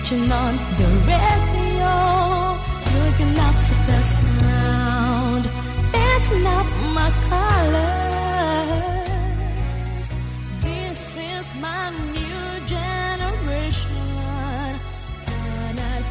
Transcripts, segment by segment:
Switching on the radio, looking up to the sound, dancing up my colors. This is my new generation. Canal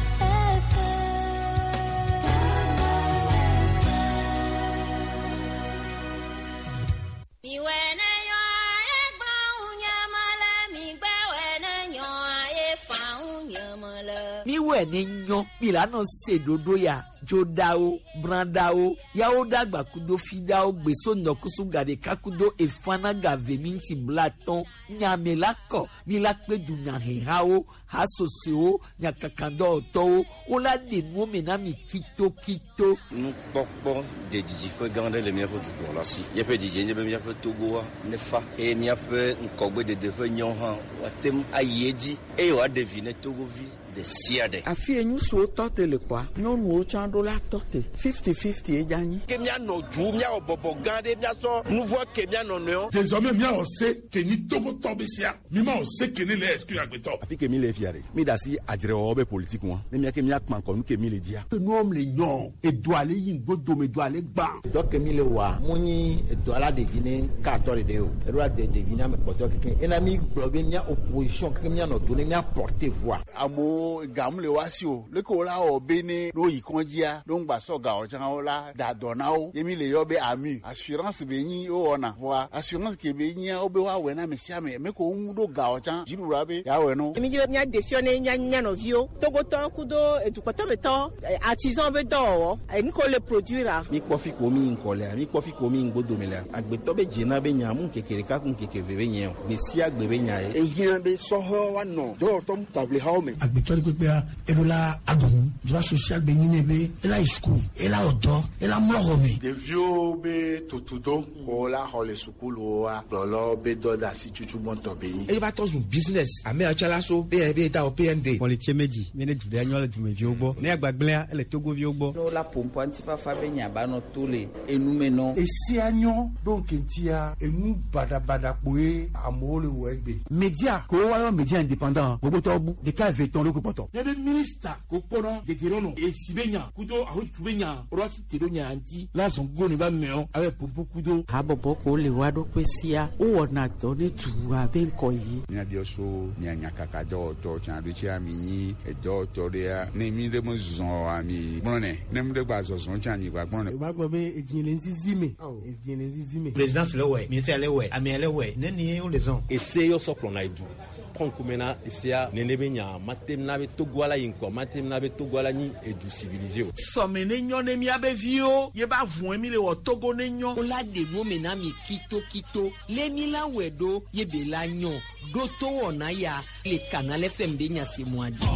Miwɔe ne nyɔ milano se ɖoɖo ya dzoɖawo brãɖawo yawo ɖagba kudo fiɖawo gbeso nɔkusu gaɖeka kudo efana gave minti blatɔn nyame la kɔ mi la kpe dunyahehawo hasosowo nyakakadɔwɔtɔwo wola ɖe nuwo me na mi kitokito. Nukpɔkpɔ de didiƒe gã aɖe le míaƒe dukplɔla si. Míaƒe didie nye be míaƒe Togoa nefa eye míaƒe ŋkɔgbedede ƒe nyɔ hã woate ŋu ayi edzi eye wòaɖe vi ne Togovi ɖe sia ɖe. Afi ye ŋutsuwo tɔ te le kpɔa, nyɔnuwo tsã ɖo la tɔ te. 50-50 ye dze anyi. Ke míanɔ du, míawɔ bɔbɔ gã ɖe, míasɔ nu vɔ̃ ke mía nɔnɔewo. Désormais míawɔ se ke nyi Togotɔ be sia. Mi ma wɔ se ke ne le exclure agbetɔ. Afi ke mi le fia ɖe, mi ɖe asi adzrewɔwɔ be politique ŋua, ne mía ke mía kpa ŋkɔ nu ke mi le dzia. Enuwo le nyɔ, edoa le yi ŋgodome, edoa le gbã. Dɔ ke mi le wɔa, mu nyi edoa la ɖevi ne katɔ ɖeɖe o, eɖo la de ɖevi ne ame kpɔtɔe keke. Ena mi gblɔ be mía opposition keke mía nɔ do ne mía porter voix. Amewo gamu le woa si o, leke wo la wɔ be ne ne woyi kɔndzia, ne woŋgba sɔ gawo tsã wo la da dɔ na wo. Ye mi le yɔ be AMU, assurance be nyi wowɔna. Vɔa assurance ke be nyia wobe woawɔe na ame sia ame. Ame ke woŋu ɖo gawo tsã, dziɖuɖua be yeawɔe na wo. Mi dzi be míaɖe fiɔ ne mía mía nɔviwo, Togotɔwo kudo edukpɔtɔmetɔwo, artisan be dɔwɔwɔ, enu ke wole produire-a. Mi kpɔ fi ko mi yi ŋkɔ lea, mi kpɔ fi ko mi yi ŋgodome lea, agbetɔ be dzena be nya mu ŋkeke ɖeka ku ŋkeke eve be nye o, gbe sia gbe be nya ye. Ehiã be sɔhɛwo woanɔ dɔwɔtɔ taʋlihawo me. Agbetɔ ɖe kpekpea, eɖo la aɖu nu. Droit social be nyi nɛ be ela yi suku, ela wɔ dɔ, ela mlɔ xɔ me. Ɖeviwo be tutudo ko la xɔ le sukuluwoa, kplɔlawo be dɔ de asi tutu gbɔntɔ be nyi. Eye va trɔ zu business. Ame ya tsã la so be be da wɔ PND. Kpɔlitse medzi mi ne du ɖe nyɔ le dumeviwo gbɔ. Ne agbagblẽa ele Togoviwo gbɔ. Ne wola ƒoƒua ŋutifafa be nya ba nɔ to le enume nɔ. Esia nyɔ ɖo ŋkeŋtia enu baɖabaɖa kpoe amewo le wɔ egbe. Media ko woayɔ media indépendant gbogbotɔwo bu ɖeka eve tɔn ɖokui kpɔtɔ. Ne be minista ko kpɔna gege ɖe nɔ esi be nya kudo ahotu be nya ɖo asi te ɖo nya ŋuti la zɔn gogo ne ba mɛɔ abe pompo kudo. Habɔbɔ ko le woa ɖokui sia wowɔna dɔ ne dua be ŋkɔ yi. Míabiɔ so mia nyakaka dɔwɔtɔ tsã ɖo tsia mi nyi edɔwɔtɔ ɖea ne mi ɖe me zɔ oa mi gblɔ nɛ ne mi ɖe gba zɔzɔ tsã mi gba gblɔ nɛ. O b'a gbɔ be edzi le ŋzizi me. Edzi le ŋzizi me. Présidence le wɛ, ministère le wɛ, amea le wɛ, nenie wo le zɔn. Ese yɔ sɔ kplɔna edu. Trɔn kumena esea nene be nya mate na be Togoa la yi ŋkɔ mate na be Togoa la nyi edu civilisé o. Sɔme ne nyɔ ne míabe viwo ye ba vɔe mi le wɔ Togo ne nyɔ. Wola ɖe nuwo me na mi kitokito le mi la wɔe ɖo ye be la nyɔ ɖo to wɔna ya le Canal FM ɖe nya se mɔa dzi.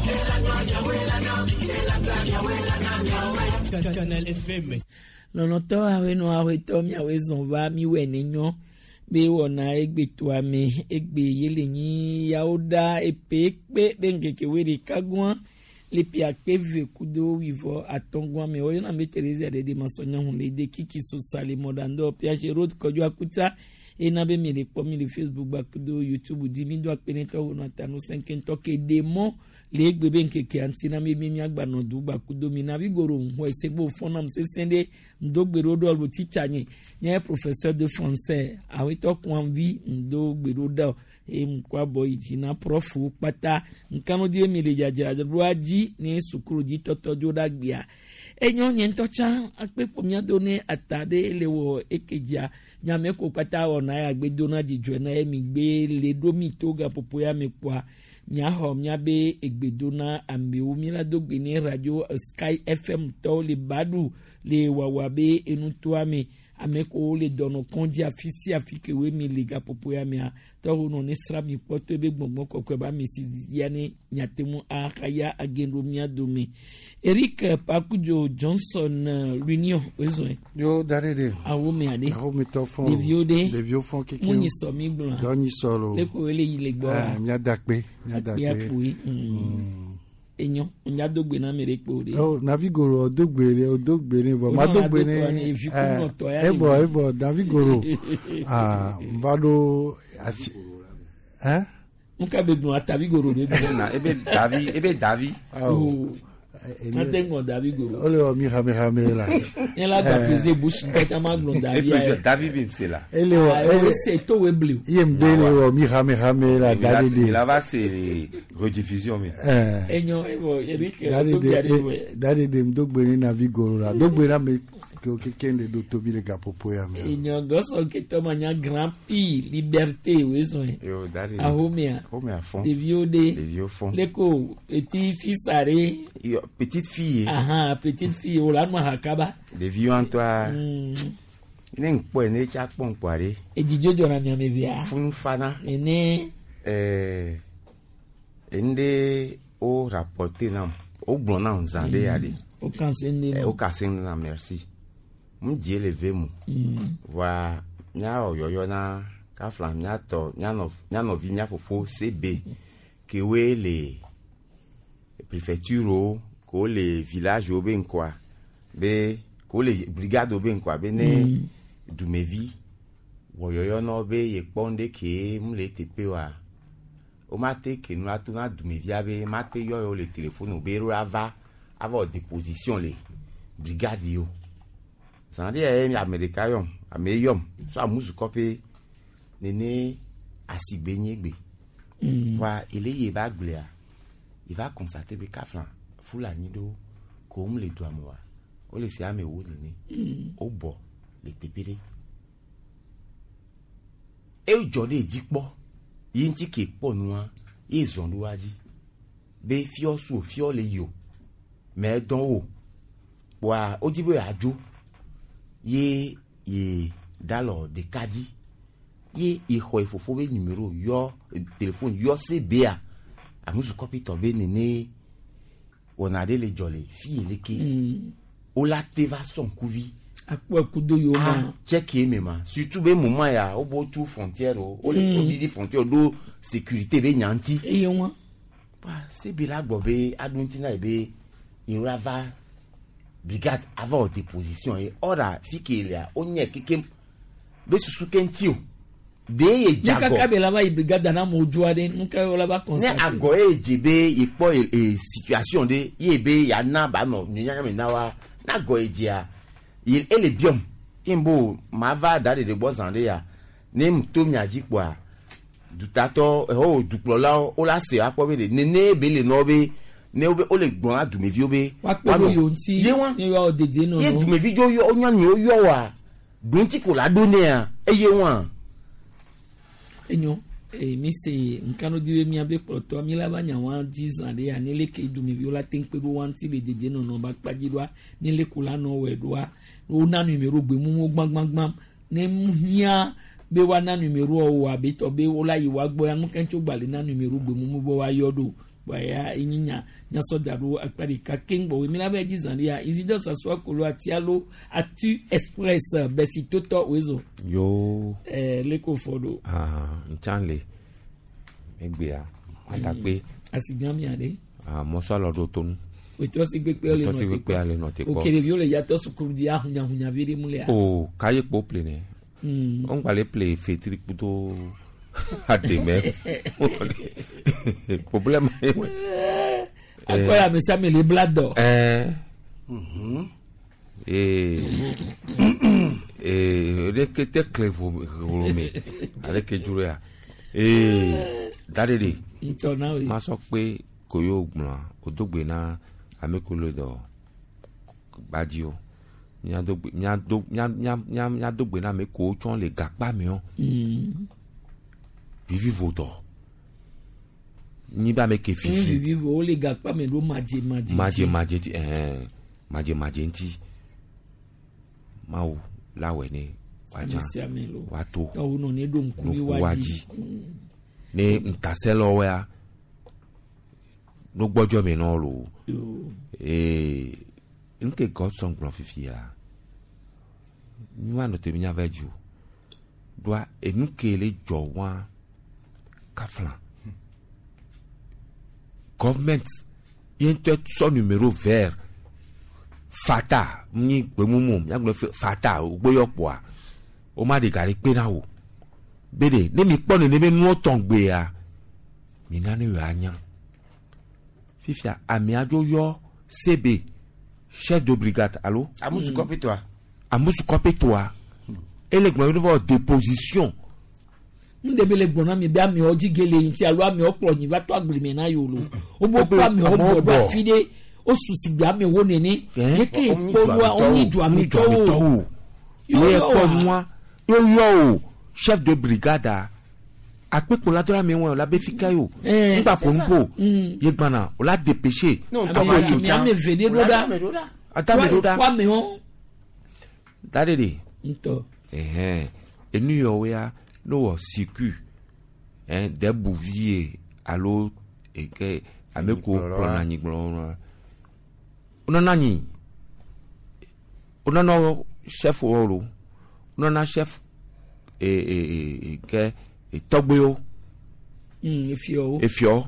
Canal FM. Lɔlɔ̃tɔ awenɔ awetɔ miawoe zɔn va miwɔe ne nyɔ be wɔna egbetoa me egbe ye le nyi yawo ɖa epe kpe be ŋkeke woe ɖeka gɔa le ƒe akpe ve kudo wuivɔ atɔ̃ gɔa me woyɔna be Theresa ɖeɖe masɔnyahun le de kiki sosa le mɔɖandɔ Piaget Road Kɔdzo Akuta ena be mi le kpɔ mi le Facebook gba kudo YouTube dzi mi do akpe ne tɔwo nɔ ta ŋusẽ keŋtɔ ke ɖe mɔ le egbe be ŋkekea ŋuti na mi be miagba nɔ du gba kudo mi na vi goro ŋu ese gbo fɔnam sesẽ ɖe ŋdogbe ɖo ɖo alo titsa nye nye professeur de français awetɔ kuanvi ŋdogbe ɖo ɖe eye ŋkɔ abɔ yi dzi na profu kpata nkanu di mi le dzadzra ɖoa dzi ne sukulu dzi tɔtɔ dzo ɖe agbea enyo nye ŋutɔ tsã akpe kpo mía do ne ata ɖe le wɔ eke dzia nyame ko kpata wɔna ya gbe do na dzidzɔe na ye mi gbe le ɖo mi to gaƒoƒo ya me kpoa miaxɔ miabe egbe do na amewo mi la do gbe ne radio Sky FM tɔwo le baɖu le wawa be enutoa me ame kowo le dɔnɔ kɔndzi afi sia afi ke woe mi le gaƒoƒo ya mea tɔwo nɔ ne sra mi kpɔ to ebe gbɔngbɔn kɔkɔe ba ame si ya ne miate ŋu ahaya age ɖo mia dome Eric Pakudzo Johnson L'Union wezɔe. Yo da ɖe ɖe. Awo me aɖe. Awo me tɔ fɔn. Ɖeviwo ɖe. Ɖeviwo fɔn keke. Mu nyi sɔ mi gblɔa. Dɔ nyi sɔ lo. Ne ko wele yi le gbɔ. Ɛɛ mia da kpe. Mia da kpe. Akpe akpoe. Enyo nya do gbe na ame ɖe kpo ɖe. O navi goro o do gbe ɖe o do gbe ne vɔ ma do gbe ne evɔ evɔ navi goro aa n va ɖo asi ɛn. Nuka be gblɔ atavi goro be gblɔ. Na ebe davi ebe davi. Oh. Ate ŋgɔ davi goro. Ole wɔ mi hame hame la. Nye la gba pese bush nkata ma gblɔ davi. Epe davi bi se la. Ele wɔ ele se to we bli. Ye mde le wɔ mi hame hame la davi de. La va se rediffusion mi. Enyo ebo Eric to bi ari we. Davi de mdo gbe ni navi goro la. Do gbe na me ke ke de do tobi le gapopo ya me. Enyo gɔsɔ ketɔ ma nya grand prix liberté we zɔn. Yo davi. Ahomea. Ahomea fɔn. Ɖeviwo de. Ɖeviwo fɔn. Leko petit fils are. Yo petite fille. Ahan petite fille o la nu ahakaba. Ɖeviwo ŋutɔa. Ne ŋkpɔe ne tsa kpɔ ŋkpɔa ɖe. Edzidzo dzɔna miame via. Funu fana. Ene. Ɛɛ ende o rapporté nam o gblɔ nam zã ɖe ya ɖe. O kan se ne. O kan se ne na merci. Mu die le ve mu. Voa míawɔ yɔyɔ na kafla míatɔ míanɔvi mía fofo CB kewoe le préfecture wo kewo le village wo be ŋkɔa be kewo le brigade wo be ŋkɔa be ne dumevi wɔ yɔyɔ na wo be yekpɔ ŋɖe ke mu le teƒe oa womate ke nu ato na dumevia be mate yɔ yewo le téléphone o be ɖo ava ava wɔ déposition le brigade yiwo zã ɖe ya ame ɖeka yɔm ame yɔm so amuzukɔƒe nene asigbe nye gbe voa ele ye ba gblea il va constater be kafla fulani ɖewo ko mu le dua me oa wole se ame wo nene wobɔ le teƒe ɖe edzɔ ɖe dzi kpɔ ye ŋuti ke kpɔ nua ye zɔn ɖo wa dzi be fiɔ su fiɔ le yi o mɛ dɔn wo kpoa wodzi be yeadzo ye ye dalɔ ɖeka dzi ye exɔ efofo be numéro yɔ téléphone yɔ CBA amuzukɔpitɔ be nene wɔna ɖe le dzɔ le fi yi leke wola te va sɔ ŋkuvi akpɔ kudo yiwo ma tsɛki eme ma surtout be moment ya wobo tu frontière o wole woɖiɖi frontière ɖo sécurité be nya ŋuti. Eye wa. CB la gbɔ be aɖo ŋuti na ye be yewo va brigade ava wɔ déposition ye ɔra fi ke lea wonye kekem be susu ke ŋuti o de ye Ne kaka dzagɔ be la va yi brigade na amewo dzoa ɖe nuka wo la va ne constater. agɔ ye dze be yekpɔ e situation ɖe ye be yana ba nɔ nyanya me na wa ne agɔ ye dzea ye ele biɔm ye bo ma va da ɖeɖe gbɔ zã ɖe ya ne mu to mia dzi kpoa dutatɔ ɛhɔ dukplɔlawo wo la se akpɔ be ɖe nene be le nɔ be ne wo be wo le gblɔ na dumeviwo be Woakpe ɖo yewo ŋuti ye wa ne yewoawɔ dedie ye nɔnɔ. dumevi dzo yɔ nyɔnuwo yɔ wa ɖoŋtsi ko la ɖo nea eye wa. Enyo ee mi se nkanu di be miabe kplɔtɔ mi la va nya wa dzi zã ɖe ya ne leke dumeviwo la te ŋu kpe ɖo wa ŋuti le dedie nɔnɔ ba kpadzi ɖoa ne leke la nɔ wɔe ɖoa wona numéro gbemumu gbãgbãgbã ne mu hiã be woana numéro wo abe tɔ be wola yi wa gbɔ ya nu kɛntso gba le na numéro gbemumu be woayɔ ɖo kpa ya enyi nya nyasɔ da ɖo akpa ɖeka keŋ gbɔ mi la be dzi zã ɖe ya Isidore Sasua Kolo atialo atu express bɛsitotɔ wezo Yo. ɛɛ leko fɔ ɖo. Ah, ntsan le egbea atakpe asigãmia ɖe. ah, mɔsɔ alɔ ɖo tonu. Wòtrɔsi gbegbe le Wòtrɔsi gbegbe le nɔ te kpɔ. Ok, ɖeviwo le yatɔ sukulu dzi ahunyahunya vi ɖe mu lea. O kaye kpo ple ne. O ŋgba le ple fetri kudo ademe. Problème ye wɛ. Akɔ ya ame sia ame le bla dɔ. Ɛɛ. Ee ee ɖeke te kle vo me aleke dzro ya. Ee da ɖe ɖe. Ŋutɔ na woe. Masɔ kpe koyo gblɔa o do gbe na ame ko le dɔ gbadziwo. Míado gbe míado mía mía mía míado gbe na ame kowo tsɔ le gakpa me Vivivo dɔ. Nyi be ame ke fifi. Vivivo wole gakpa me ɖo madze madze. Madze madze ti ɛɛ madze madze ŋuti. Mawu la wɔ ne Ame sia ame lo. woato. Tɔwo nɔ ne ɖo ŋkuvi Ŋku wa wa dzi. dzi. Ne ŋutasẽlɔwoa nugbɔdzɔ me nɔ lo. Ee nke Godson gblɔ fifia míanɔ te míava dzi o. Ɖoa enu ke le dzɔ wa kafla. Government ye ŋutɔ sɔ numéro vert fata nyi gbemumu míagblɔ fata wògbeyɔ kpoa woma ɖe ga ɖe kpe na wò. Be ɖe ne mi kpɔ nene be nuwo tɔn gbea Mina ne yɔ anya. Fifia amea dzo yɔ CB chef de brigade alo. Amusu kɔpitoa. Amusu kɔpitoa. Ele gblɔ yi vɔ déposition. Nu ɖe be le gbɔna mi be amewo dzi ge le ŋuti alo amewo kplɔ nyi va to agble me na yewo lo. Wobe kplɔ amewo bɔ ɖo afi ɖe wosu si gbe amewo nene. Yeke kpɔnua wonyi duametɔwo. Ye kpɔ nua yɔ o chef de brigade a akpekpola dɔ la mi wɔn la be fika yi o. Ŋgba ƒo nuƒo. Ye gbana o la dépêché. Ame eve ɖe ɖo ɖa. Ata ame ɖo ɖa. Kɔ amewo. Da ɖe ɖe. Ŋutɔ. Ɛhɛn enu yɔ ya no wɔ siku ɛn dɛbu vie alo eke ame ko kplɔna anyigblɔ wɔna. Wonana nyi wonana chef wɔ lo wonana chef e e e ke tɔgbewo. Efiɔwo. Efiɔ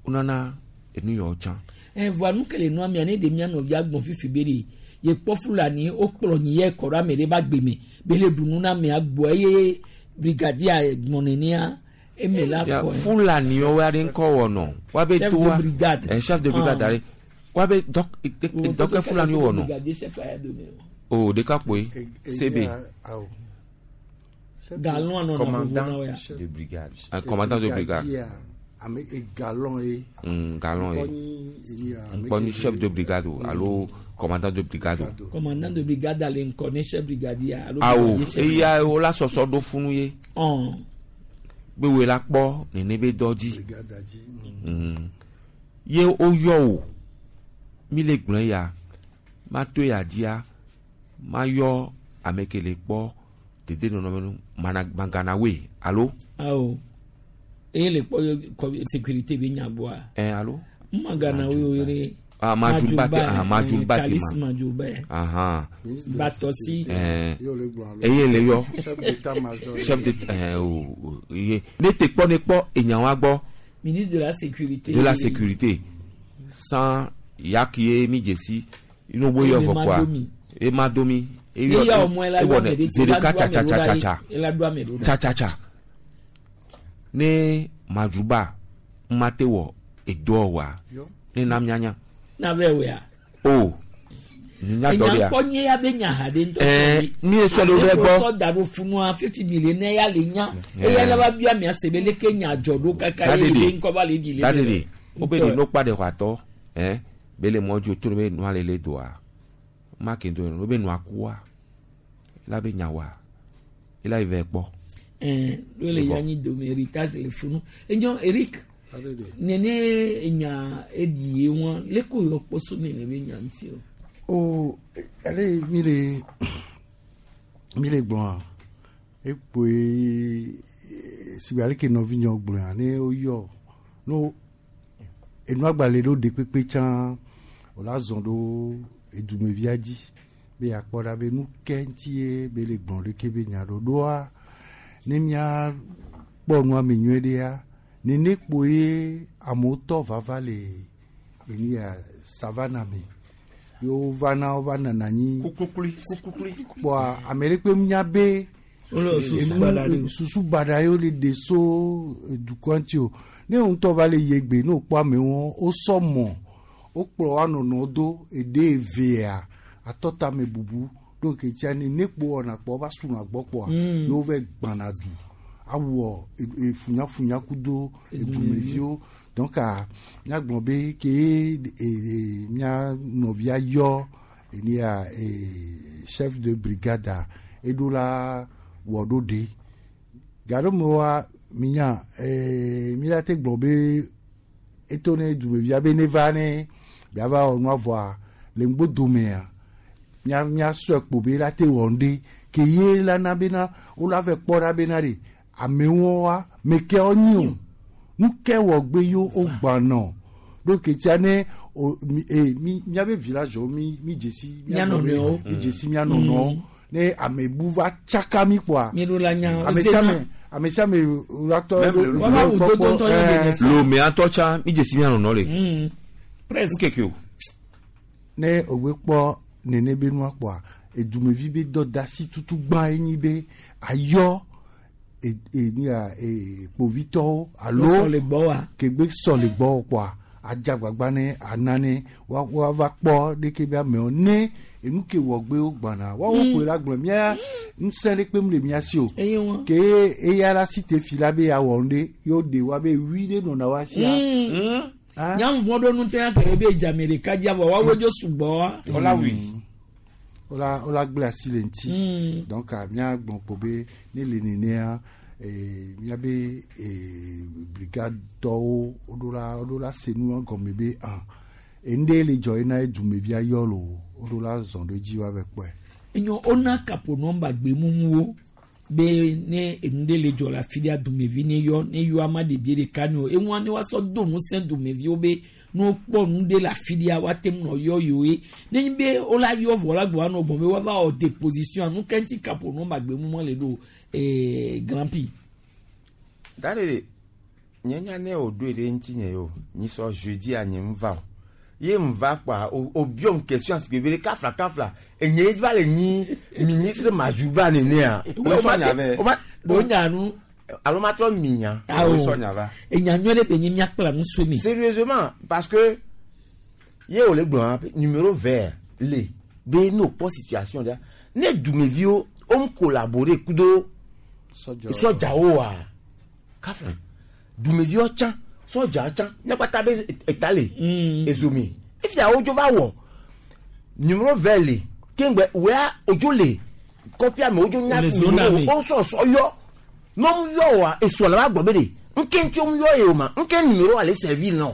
wonana enu yɔ tsã. Ɛ voa nu kele nua mia ne ɖe mia nɔvia gbɔn fifi be de ye kpɔ Fulani wokplɔ nyi yɛ kɔ ɖe ame ɖe ba gbe me be le ɖu nu na amea gbɔ eye brigadier gbɔn nenea eme la kɔ. Fulani yɔ wa ɖe ŋkɔ wɔ nɔ wa be Chef to de wa brigade. Chef de brigade Ah. ale wa be dɔk dɔkɛ Fulani wɔ nɔ. Brigadier chef aya dome o. O ɖeka kpoe CB. Galon anɔ na vovo Commandant na wo ya. de brigade. Commandant de brigade. Ame galon ye. Galon ye. Ŋkɔ Ŋkɔ ni chef de brigade o alo commandant de brigade o. Commandant de brigade ale ŋkɔ ne chef brigadier alo Awo brigadier chef. eya wo la sɔsɔ ɖo funu ye. Ɔn. Be wo la kpɔ nene be dɔ dzi. Ye woyɔ o mi le gblɔ ya ma to ya dzia ma yɔ ame ke le kpɔ dede nɔnɔme nu mana magana woe alo. Awo eye le kpɔ kɔ sécurité be nya gbɔa. Ɛ alo. Magana wo yere. Ah, Majumba te, ah, Majumba te Kalis ma. Majumba. Ahan. Batɔsi. Eye le yɔ. Chef d'état-major. Chef de o o ye ne te kpɔ ne kpɔ enyawa gbɔ. Ministre de la sécurité. De la sécurité. Sans yaki ye mi dzesi inu bo yɔ Eye vɔ ma kɔa. do mi. E ma do mi. E Ni ya o mɔ ela e yɔ wɔ ame nɛ ɖe zi ela ɖeka do ame tsa ɖo tsa ɖa tsa ye, tsa. ela do ame ɖo ɖa. Tsa tsa tsa. Ne Madjuba ma te wɔ edoɔ wa. Ne na mianya. Na vɛ wɛa. O. Nya dɔ de Enya ya. kpɔ nye ya be nya ha ɖe ŋutɔ. Ɛɛ mi ye sɔ ɖe wo gbɔ. Sɔ da ɖo funua fifi mi le ne ya le nya. Eya la va bia mia se be leke nya dzɔ ɖo kaka ye be ŋkɔ va le ɖi le. Da de de. Wo be de no kpa de xɔ atɔ. Ɛn be le mɔ dzo to ne be nua le le doa. Ma ke do wo be nua kua. La be nya wa. Ela yi vɛ kpɔ. Ɛɛ ɖo le ya nyi dome héritage le funu. Enyɔ Eric. Nene enya eɖi ye wɔn leko yɔ kpɔ so nene be nya ŋuti o. O ale mi le mi le gblɔa ekpoe sigbe ale ke nɔvinyewo gblɔa ne woyɔ no enua gbalẽ ɖo ɖe kpekpe tsã wòla zɔ ɖo edumevia dzi be yakpɔ ɖa be nu ke ŋuti ye be le gblɔ ɖeke be nya ɖo ɖoa ne mía kpɔ nua me nyuie ɖea nene kpoe amewo tɔ vava le enu ya savana me yewo vana wova nana anyi Kuklui kuklui. kpɔa ame ɖe kpe nya be Wole susu baɖa ɖe o. susu baɖa yewo le ɖe so dukɔ ŋuti o ne wo ŋutɔ va le yi egbe ne wokpɔ amewo wosɔ mɔ wokplɔ woa nɔnɔwo do eɖe evea atɔtame bubu ɖo ke tsia ne ne kpo wɔna kpɔ wova suna gbɔ kpɔa yewo va gbãna du awɔ funyafunya kudo edumeviwo donc a míagblɔ be ke mía nɔvia yɔ enia chef de brigade a eɖo la wɔ ɖo ɖe gaɖo me wa minya mi la te gblɔ be eto ne dumevia be ne va ne biava wɔ nua vɔa le ŋgbodomea mía míasɔe kpo be la te wɔ ŋɖe ke ye la na bena wo la vɛ kpɔ ɖa bena ɖe amewo wa meke wo nyi o nu ke wɔ gbe yo wo gbãnɔ ɖo ke tia ne o mi e mi míabe village wo mi mi dzesi Mía nɔnɔewo. mi dzesi mía nɔnɔewo ne ame bu va tsaka mi kpoa Mi ɖo la nya. ame sia ame ame sia ame la tɔ Même le- Wava wu dodo ŋutɔ ye ɖe ne Lomé atɔ tsã mi dzesi mia nɔnɔ le. Presque. Nkeke o. Ne òwe kpɔ nene be nua kpɔa edumevi be dɔdasi tutu gbã ye nyi be ayɔ nu ya kpovitɔwo alo Sɔ le gbɔ wa. Kegbe sɔ le gbɔ kpoa adze agbagba ne ana ne woava kpɔ ɖeke be amewo ne enu ke wɔgbe wo gbana woawo koe la gblɔ mía ŋusẽ ɖe kpem le mía si o. Eye wɔn. Ke eya la si te fi la be yeawɔ nu ɖe yewo ɖe wa be wi ɖe nɔna wa sia. Nyamu vɔ ɖo nutɔ ya kele be dzame ɖeka dzi avɔ woawo dzo sugbɔ. Wola gblẽ asi le ŋuti. Donc mía gblɔ kpo be ne le nenea míabe brigade tɔwo woɖo la se nua gɔme be ah enu ɖe le dzɔ yina ye dumevia yɔ lo woɖo la zɔn ɖo edzi woava kpɔe. Enyo wona kapo nɔmba gbemumuwo be ne enu ɖe le dzɔ le afi ɖea dumevi ne yɔ ne yɔ ama ɖevi ɖeka ne o eŋua ne woasɔ do ŋusẽ dumeviwo be ne wokpɔ nu ɖe le afi ɖea woate ŋu nɔ yɔ yewoe ne nyi be wola yɔ vɔ la gbɔ anɔ gbɔn be woava wɔ déposition nu ke ŋuti kapo nɔmba gbemumua le ɖo grand prix. Da ɖe nye nya ne o ɖoe ɖe ŋuti nye o nyi sɔ jeudi a nye ŋva o ye ŋva kpoa o biɔm question si bebe kafla kafla enye va le nyi ministre Madjouba nenea. O sɔ nya vɛ. O nya nu. Alo ma trɔ mi nya. Awo O sɔ nya va. Enya nyɔ ɖe be nyi miakpla nu so mi. Sérieusement, parce que ye o le gblɔ hã numéro vert le be ne o kpɔ situation ɖe ne dumeviwo o mu collaborer kudo sɔdzawo wa kafla dumeviwo tsã sɔdza tsã míakpata be eta le ezomi efia wodzo va wɔ numéro vert le keŋgbɛ wea odzo le kɔpia me wodzo nya Le zone me. o sɔsɔ yɔ ne wo yɔ wa esɔ la va gbɔ be de nke ŋuti wo yɔ ye o ma nke numéro ale servir nɔ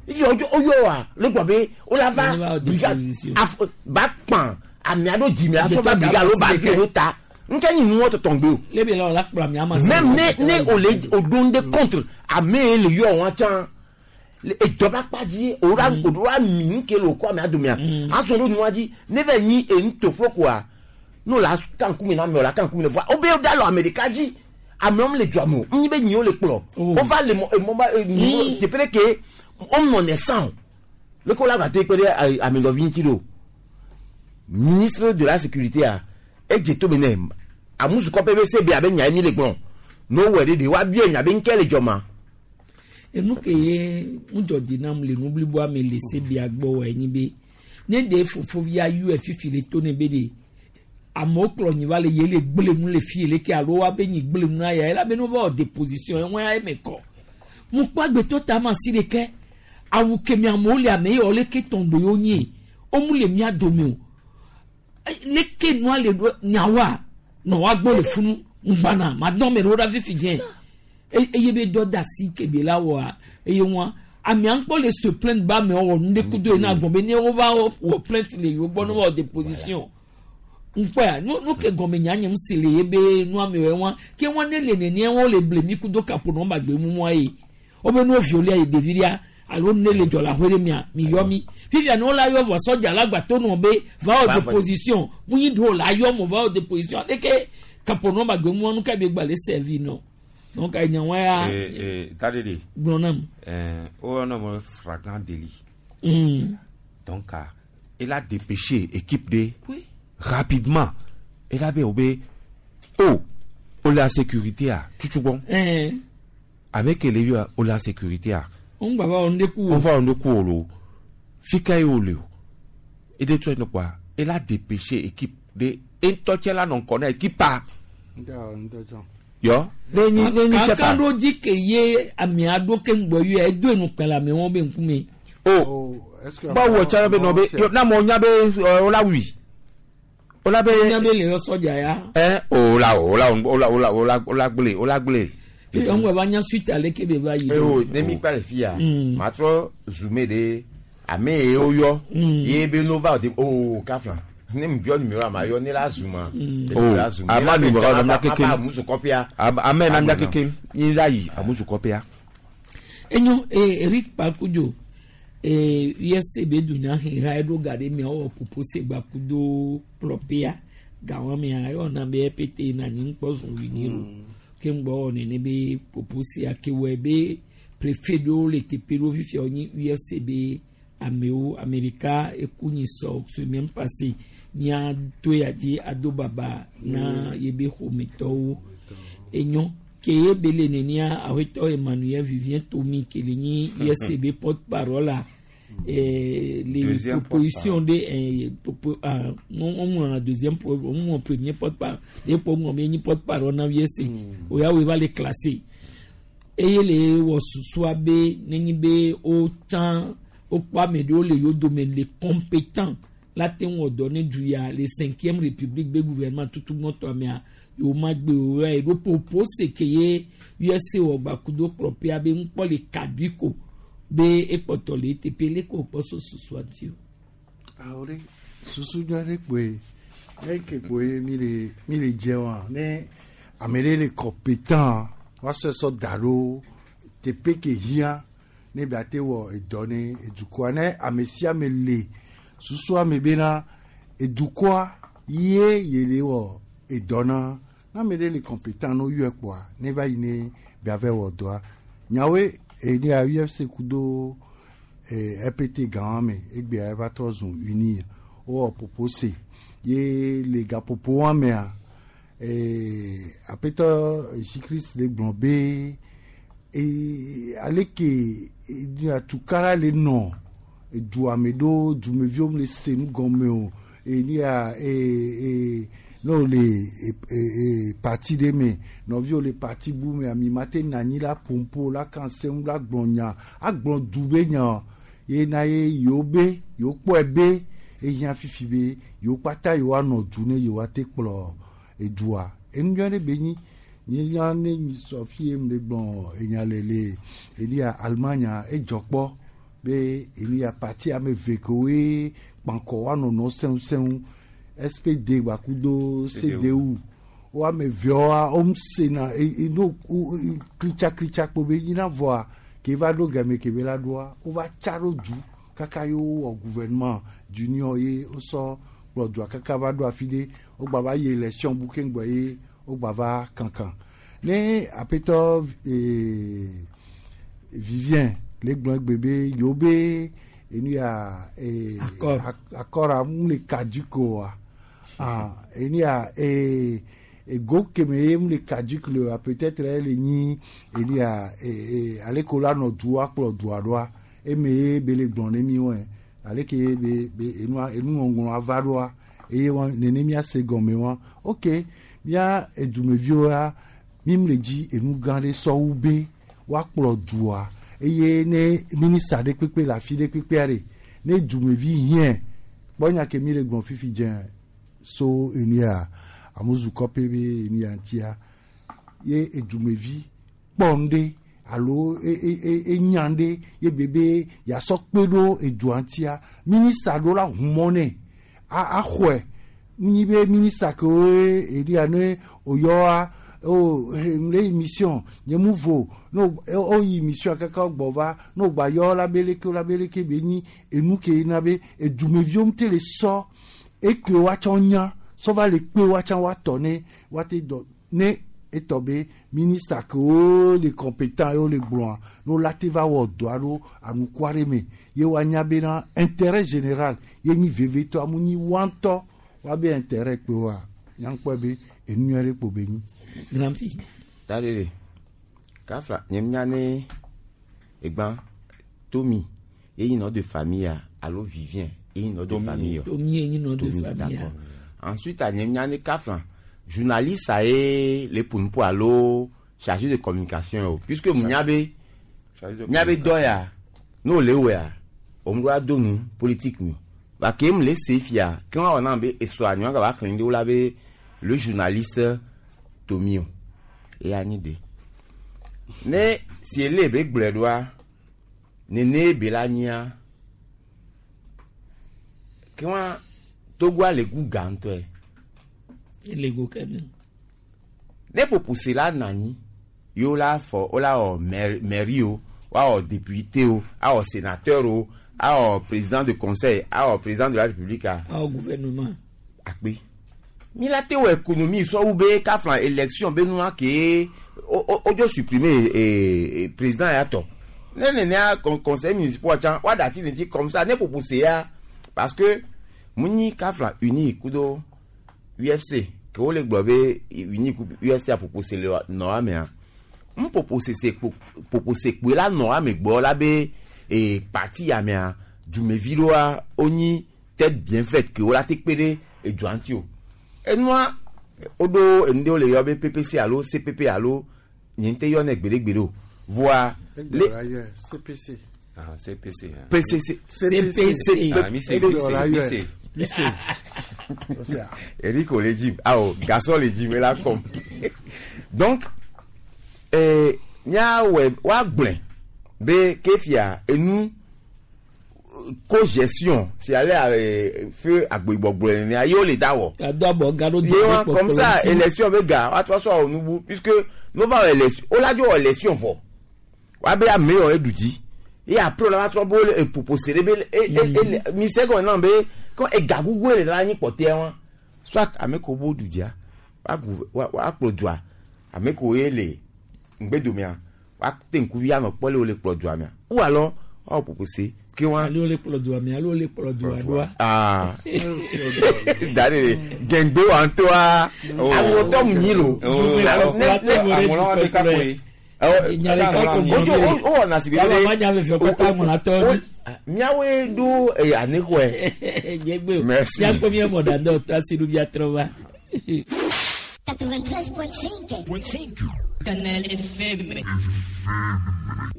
ifi odzo oyɔ wa le gbɔ be o la va Wole va brigade déposition. af ba kpan ame aɖewo dzime asɔ va brigade alo ba gbe ɖo ta nke nyi nuwɔ tɔtɔn gbe o Le be la o la kplɔ mi ama. même ne o le o do ŋɖe contre ame ye le yɔ wɔn tsã le edɔ ba kpa dzi o la o do la mi nu ke le o kɔ amea domea azɔ ɖo nua dzi ne va nyi enu to fo koa n'o la kan kume na ame o la kan kume na voa o be o da lɔ ame ɖeka dzi amewo le dua me o nyi be nyiwo le kplɔ o va le mɔ emɔ ba e teƒe ɖe ke o nɔ ne san o le ko la gate kpe ɖe amenɔvi ŋuti ɖo ministre de la sécurité a edze to be ne amusukɔƒe be se be abe nya ye mi le gblɔ n'o wɔ ɖe de wa bia nya be ŋkɛ le dzɔ ma. Enu ke ye ŋudzɔdzi nam le nu bliboa me le sebia gbɔ wɔ enyi be ne ɖe fofovia yɔe fifi le to ne be de amewo kplɔ nyi va le ye le gble nu le fie leke alo wa be nyi gble nu na ya ela be ne va wɔ déposition eŋua ya eme kɔ mu kpɔ agbetɔ ta ma si ɖeke awu kemi amewo le ame ye wɔ leke tɔngbe yewo nyi wo mu le mía dome o leke nua le ɖo nyawoa nɔ wa gbɔ le funu ŋgbana ma dɔn me ɖe wo ɖa fifi dze eye be dɔ da asi kebe la wɔa eye ŋua amea ŋkpɔ le se plainte ba amewo wɔ nu ɖe kudo yina gbɔn be ne wo va wɔ plainte le yewo gbɔ ne wɔ déposition ŋkpɔa nu ke gɔme nya nye ŋusi le ye be nua me wɔ ŋua ke ŋua ne le nenia wo le ble mi kudo kapo nɔ ba gbe mumua ye wo be nuwo violia yi ɖevi ɖia alo ne le dzɔ le aƒe ɖe mia mi yɔ mi fifia ne wo la yɔ vɔ sɔdza la gba to nɔ be va wɔ déposition mu nyi ɖewo la yɔ mo va wɔ déposition aleke kapo nɔ ba gbe mumua nu ka be gba le servi nɔ donc enya wa ya. Ee taɖeɖe. Gblɔ nam. O yɔna mo flagrant délit. Donc il a dépêché équipe de oui. Rapidement il a be o be o o la sécurité a tutu bɔn. Avec ele yi o la sécurité a. O ń gbà bá wọn ku o. O va wọn ku o lo fika ye o le o e de tɔ yen quoi il a dépêché équipe de ntɔtsɛ la nɔ ŋkɔ na équipe a. Yɔ ne nyi ne nyi chef a. Kankan ɖo dzi ke ye amea ɖo ke ŋgbɔ yɔ edo enu kpɛ le amewo be ŋkume. O báwo tsara be nɔ be na mɔ nya be o la wui o la be. Nya be le yɔ sɔdza ya. Ɛ o la o la o la o la o la o la gble o la gble. Eye ŋgbɔ va nya suite ale ke be va yi. O ne mi kpa le fi ya ma trɔ zoome de ame ye wo yɔ ye be no va o de o kafla ne mi biɔ numéro ma yɔ ne la zooma. O ama numéro na mia keke amusu kɔpia. Ame na mia keke ni la yi amusu kɔpia. Enyo Eric Pakudzo USC be dunya heha eɖo ga ɖe mia wɔ popo se gba kudo plɔpia gawọn mia eyɔna be pt na nyi ŋkpɔ zɔn wi o ke ŋgbɔ wɔ nene be popo sia ke wɔ be préfet ɖewo le teƒe ɖewo fifia wonye UFC be amewo amerika eku nyi sɔ semaine passée mía to ya dzi ado baba na yebe ƒometɔwo. Enyo ke ye be le nenia awetɔ Emmanuel Vivien Tomi ke le nyi USB porte parole a les Deuxième propositions de ah, on on a deuxième on premier porte parole et pour on nyi porte parole na UFC oya we va les classer eye le wɔ susua be nenyi be wotsã wokpɔ ame ɖewo le yewo dome le compétent la te ŋu wɔ dɔ ne du ya le cinquième république be gouvernement tutu gbɔtɔ mea yewo ma gbe o ya eɖo popo se ke ye USA wɔ gbakudo kplɔƒea be ŋkpɔ le kabi ko be ekpɔtɔ le eteƒe leke wòkpɔ so susua ŋuti o. Awo ɖe susu nyui aɖe kpoe eke kpoe mi le mi le dze wa ne ame ɖe le compétent woasɔe sɔ da ɖo teƒe ke hiã ne be ate wɔ edɔ ne edukɔa ne ame sia ame le susua me bena edukɔa ye ye le wɔ edɔ na ne ame ɖe le compétent ne woyɔe kpoa ne va yi ne be ava wɔ dɔa nyawoe ene ya UFC kudo RPT gã me egbea eva trɔ zu uni wowɔ popose ye le gaƒoƒo wa mea aƒetɔ Jésus-Christ le gblɔ be aleke atukara le nɔ edua me ɖo dumeviwo le se nu gɔme o enia ne wole parti ɖe me nɔviwo le parti bu me ami ma te nɔ anyi la ƒomƒo la kan seŋu la gblɔ nya agblɔ du be nya ye na ye yewo be yewo kpɔe be ehiã fifi be yewo kpata yewoanɔ du ne yewoate kplɔ edua enu nyui aɖe be nyi nye ne mi sɔ fi ye mi le gblɔ enya le le enia Allemagne edzɔ kpɔ be enia parti ame eve kewoe kpankɔ woanɔnɔ sẽŋu sẽŋu SPD gbakudo CDU wo ame eveawoa wo sena no klitsa klitsa kpo be nyina vɔa ke va ɖo game ke be la ɖoa wova tsa ɖo du kaka ye wowɔ gouvernement d'union ye wosɔ kplɔ dua kaka va ɖo afi ɖe wogba va yi élection bu keŋgbɔ ye wogba va kankan ne aƒetɔ Vivien le gblɔ egbe be yewo be enu ya accord mu le caduc oa ah enu ya ego keme ye mu le caduc le oa peut-être ele nyi enu ya ale ko la nɔ dua kplɔ dua ɖoa eme ye be le gblɔ ne mi wɔe ale ke be be enua enuŋɔŋlɔ ava ɖoa eye wa nene miase gɔme wa ok mia edumeviwo ya mi mu le dzi enu gã ɖe sɔwu be woakplɔ dua eye ne minista ɖe kpekpe le afi ɖe kpekpea ɖe ne dumevi hiã kpɔ nya ke mi le gblɔ fifi dze so enu ya amuzu kɔpe be enu ya ŋutia ye edumevi kpɔ nu ɖe alo enya ɖe ye bebe yasɔ kpe ɖo edua ŋutia minista ɖo la hu mɔ nɛ axɔe nyi be minista kewoe enu ya ne oyɔa o le yi mission nye mu vo no o yi mission kaka gbɔ va no gba yɔ la be leke la be leke be nyi enu ke na be edumeviwo ŋute le sɔ eke woatsɔ nya sɔ va le kpe woatsã woatɔ ne woate dɔ ne etɔ be minista kewo le compétent ye wo le gblɔa ne wo la te va wɔ dɔa ɖo anukua ɖe me ye woanya bena intérêt général ye nyi vevitɔ amu nyi woa ŋutɔ woabe intérêt kpe woa nyankpɔe be enu nyui ɖe kpo be nyi. Grand Prix. Taɖeɖe kafla nye nya ne egbã Tomi ye nyi nom de famille alo Vivien ye nyi nom de famille. Tomi ye nyi nom de Tomi, famille. d'accord. Ensuite nye nya ne kafla journaliste a ye le ƒonuƒo alo chargé de communication o puisque mu nya be nya be dɔ ya ne wòle wɔa òun ɖo ado nu politique mi ba ke mu le se fia ke wɔn awɔ na be esɔa nyɔa gaba xlẽ ɖe wo la be le journaliste Tomi o eya nyi de ne si ele be gblɔe ɖoa nene be la nyia ke wɔn Togoa le gu gã ŋutɔe. Le go kene. Ne popose la nɔ anyi ye wo la fɔ wo la wɔ mairie o woawɔ député o awɔ sénateur o awɔ président de conseil awɔ président de la république a. Awɔ gouvernement. Akpe mi la te wɔ économie sɔwu be kafla élection be nua ke o dzo supprimer président ya tɔ ne nenea conseil municipal tsã woaɖe asi le ŋuti comme ça ne popose ya parce que mu nyi kafla uni kudo UFC. Ke wole gblɔ be uni ku USA popose le nɔ amea. N popose se kpo popose kpoe la nɔ ame gbɔ la be e parti amea dumevi ɖoa wonyi tête bien faite ke wola te kpe ɖe edua ŋuti o. Enua woɖo enu ɖewo le yɔ be PPC alo CPP alo nye ŋutɔ yɔnɛ gbeɖegbeɖe o. Voa le CPC. Ah, CPC. Hein. PCC. CPC. Ah, mi C, C, C. Eric le gym. Ah, oh, garçon le gym, là comme. Donc, eh, nya wɛ wa gblẽ be kefia enu co-gestion si ale feu agboyigbɔgblɔ nenea ye wole da wɔ. Ado abɔ ga ɖo Ye wa comme ça élection be ga wa trɔ sɔ wɔ nubu puisque no va wɔ élection wola dzo wɔ élection vɔ wa be ame yɔ eɖu dzi ye après wola va trɔ be wole epopo se ɖe be e e e mi se gɔme nam be kɔ ega gugu le la anyi kpɔtɛa wa soit ame ko bo ɖu dzia wa gu wa wa kplɔ dua ame ko ye le ŋgbedomea wa te ŋkuvi anɔ kpɔ le wole kplɔ dua mea ou alors wa wɔ popo se ke wa. Alo wole kplɔ dua mea alo wole kplɔ dua ɖoa. Aa da de gɛngbe wa ŋutɔa aŋlɔtɔ mu nyi lo. Ojo o wɔna si bi de. Miawoe ɖo anixɔe. Merci. Miakpɔ mia mɔ dada tɔ asi ɖo miatrɔ va. 93.5. Canal FM.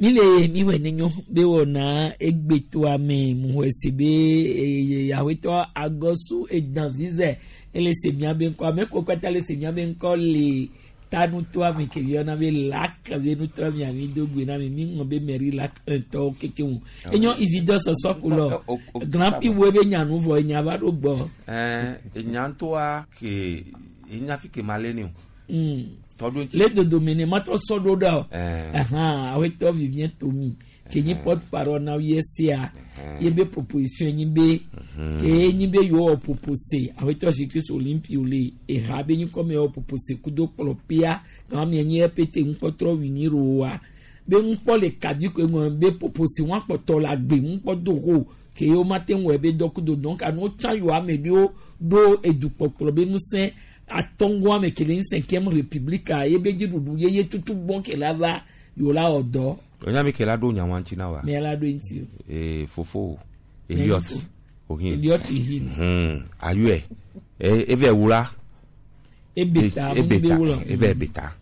Mi le mi wɔ ne nyo be wɔna egbetoa me mu xɔ si be yahwetɔ agɔsu edanzize ele se mia be ŋkɔ ame ko kpata le se mia be ŋkɔ le tanutoa me ke yɔna be lak be nutoa me ami do gbe na mi mi ŋlɔ be mɛri lak ŋutɔwo keke ŋu enyo izidɔ sɔsɔ ko lɔ grand prix wo be nyanu vɔ enya va ɖo gbɔ. Ɛɛ enya ŋutɔa ke enya fi ke ma le ni o. Tɔɖo ŋuti. Le dodome ne ma trɔ sɔ ɖo ɖa o. Awetɔ Vivien Tomi ke nyi porte parole na USCA ye be proposition nyi be ke nyi be yewo wɔ propose awetɔ Jésus Olympio le eha be nyi kɔme wɔ propose kudo kplɔ pia gama mi nyi EPT ŋkpɔtrɔ wini roa be ŋkpɔ le kadi ko ŋɔ be propose wɔn akpɔtɔ la gbe ŋkpɔ do ho ke yewo ma te ŋu ebe dɔ kudo donc anu tsã yewo ame ɖewo ɖo edukpɔkplɔ be ŋusẽ atɔngɔ ame ke le nye cinquième république ye be dziɖuɖu ye ye tutu gbɔn ke la va yewo la wɔ dɔ. Onya mi ke la ɖo nyawa ŋuti na wa. Mi la ɖo ŋuti. Ee fofo Eliot Ohin. Eliot Ohin. Ayɔɛ eve wula. Ebeta ebe wula. Eve beta.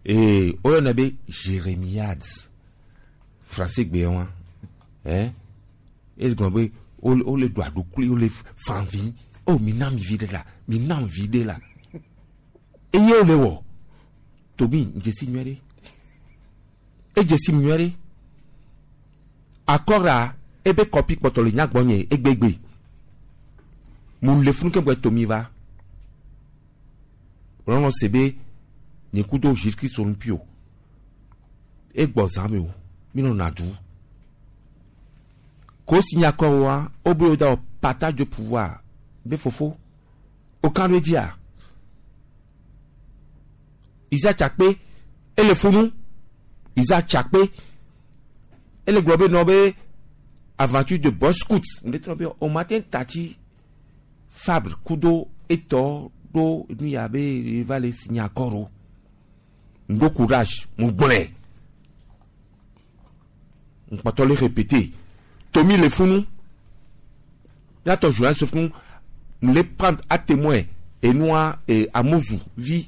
Ee oyɔna be Jérémiades français gbe wa. Ɛn egɔn be wole ɖu aɖukli wole fanvi o mi na mi vi ɖe la mi na mi vi ɖe la eye wole wɔ tobi dzesi nyuie ɖe edzesi nyuie ɖe akɔra ebe kɔpi kpɔtɔ le nyagbɔ nye egbegbe mu le funu keŋgbe tomi va lɔlɔ se be nye kudo Jésus Christ Olympio egbɔ zã me o mi nɔ na du ko signé accord wa obe wo da partage de pouvoir be fofo o kan ɖo dzia Isa Tsakpe ele funu Isa Tsakpe ele gblɔ be nɔ be aventure de boy scout ne trɔ be o ma te tati Fabre kudo etɔ ɖo nu ya be va le signé accord o ŋdo courage mo gblɔe ŋkpɔtɔ le répéter Tomi le funu miatɔ journaliste funu le prendre à témoin enua Amozu vi.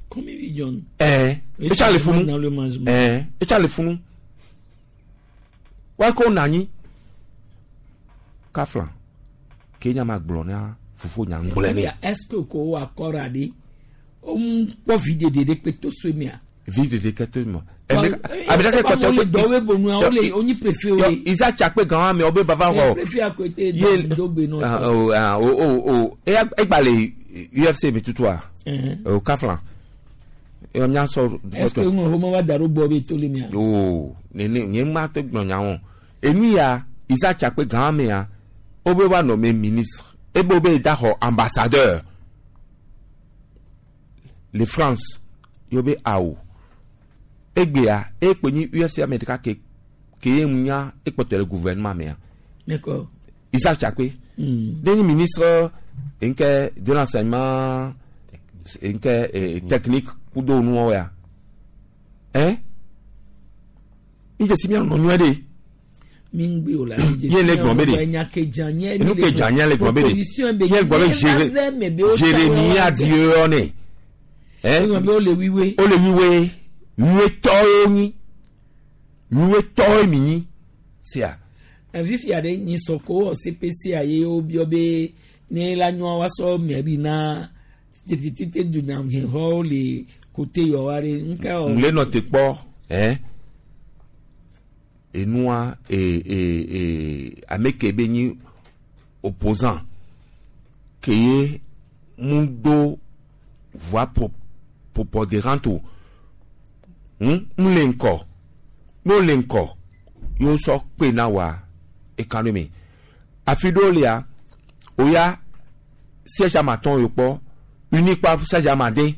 Combien de John? Etsa le funu. Etsa le funu. Wa ko nani? Kafla. Kenya ma gblɔ na fofo nya ŋgblẽ ne. Est-ce que ko accord adi? On kpɔ videde ɖe kpe to so mia. Videde ke to mia. Abidake kɔtɔ ko dɔwɔ bonu awo le onyi préfet o le. Isa Tsakpe gan ame wo be bava xɔ. Préfet akote do gbe nɔ. O o o eya egba le UFC mi tutua. O Kafla. Eyɔ mia sɔ. Est-ce que ŋun xɔmɔ wa da ɖo gbɔ be to le mia? O nene nye ma te gblɔ nya wɔn. Enu ya Isa Tsakpe gan amea wo be wa nommé ministre ebe wo be da xɔ ambassadeur le France yo be awo egbea ekpe nyi UFC ame ɖeka ke ke ye ŋu nya ekpɔtɔ le gouvernement mea. D'accord. Isa Tsakpe. De nyi ministre Nke de l'enseignement nke technique kudo nuwo ya. Hein? Mi dze si mia nɔ nyuie ɖe. Mi ŋgbe o la. Ye le gblɔ be ɖe. Enya ke dza nye. Enu ke dza nye le gblɔ be ɖe. Proposition be. Ye gblɔ be Jérémie di yɔ ne. Hein? Egblɔ be wole wiwe. Wole wiwe. Wiwe tɔwo nyi. Wiwe tɔwo mi nyi. Sia. Fifia ɖe nyi sɔko wɔ CPC a ye wobiɔ be ne la nyɔa woasɔ mɛri na tete dunyahexɔwo le kote yɔ wa ɖe nka wɔ. Ŋle nɔ te kpɔ. Hein? Enua ame ke be nyi opposant ke ye mu do voix prépondérante o. Mu le ŋkɔ. N'o le ŋkɔ, y'o sɔ kpe na wa ekan ɖe me. Afi ɖewo lia, o ya siège amatɔn yo kpɔ, uni kpa siège amade.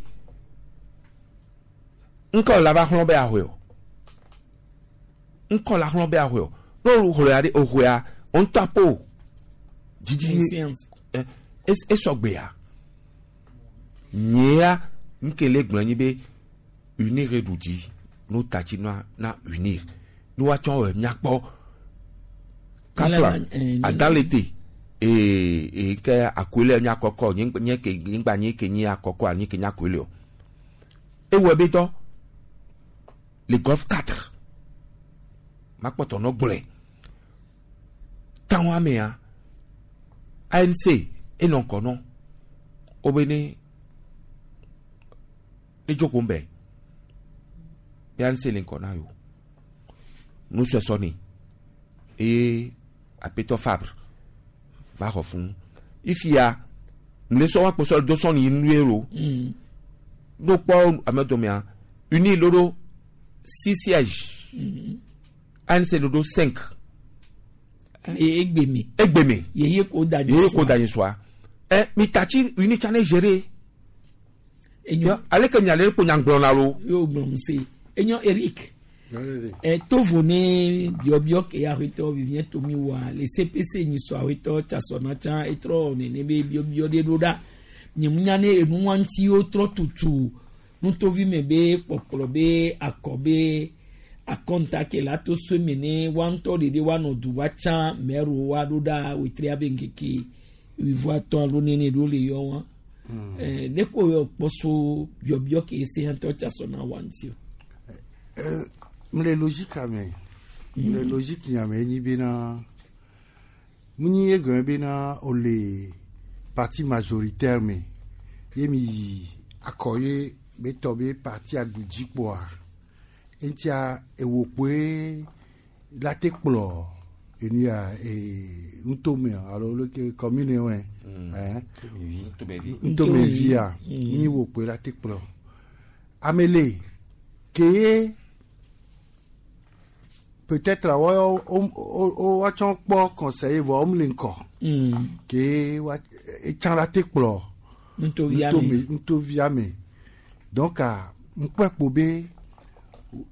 Ŋkɔ la va xlɔ be ahoe o. Ŋkɔ la xlɔ be ahoe o. N'o xlɔa ɖe o xɔa, o ŋutɔ apo. Dzidzi esɔgbea. Nyea ŋkele gblɔ nyi be unir ɖu dzi n'o tatsi na na unir. N'o wa tsɔ wɔ miakpɔ. Kafla adalete ee ke akoele nya kɔkɔ nye nye ke nyigba nye ke nye akɔkɔ anyi ke nye akoele o. Ewɔ be dɔ le golf 4 makpɔtɔ nɔ gblɔe. Tawọn amea ANC enɔ ŋkɔ nɔ wo be ne ne dzoko ŋbɛ be ANC le ŋkɔ na yo. Nusɔsɔ ni eye apetɔ Fabre va xɔ fún ifia mle sɔ wa kpɔsɔ do sɔni nue lo. N'o kpɔ ame dɔmea uni lo do 6 sièges. ANC lo do 5. Egbeme. Egbeme. Yeye ko da Yeye ko da soi. Mi tati uni tsane gérer. Enyo. Ale ke miale ko nyagblɔ na lo. Yo gblɔ se. Enyo Eric. Tovo ne biɔbiɔ ke awetɔ Vivien Tomi wa le CPC nyi sɔ awetɔ tsasɔna tsã etrɔ nene be biɔbiɔ ɖe ɖo ɖa. Nyemunya ne enua ŋuti wotrɔ tutu nutovi me be kpɔkplɔ be akɔ be akɔnta ke la to so me ne wa ŋutɔ ɖeɖe woanɔ du wa tsã mɛro wa ɖo ɖa wetria be ŋkeke wuieve alo nene ɖo le yɔ wa. Ne ko yɔ kpɔ so biɔbiɔ ke se ŋutɔ tsasɔna wa ŋuti o. Mle logique ame mle logique nyame nyi bena munyi ye gɔme bena ole parti majoritaire me ye mi yi akɔ ye be tɔ be parti aɖu dzi kpoa eŋutia ewo kpoe la te kplɔ enu ya nutome alo leke commune wɛ nutomevia munyi wo kpoe la te kplɔ ame le ke ye peut-être wo woatsɔ kpɔ conseiller vɔ womle ŋkɔ ke wa etsã la te kplɔ nutovia me donc ŋkpɔe kpo be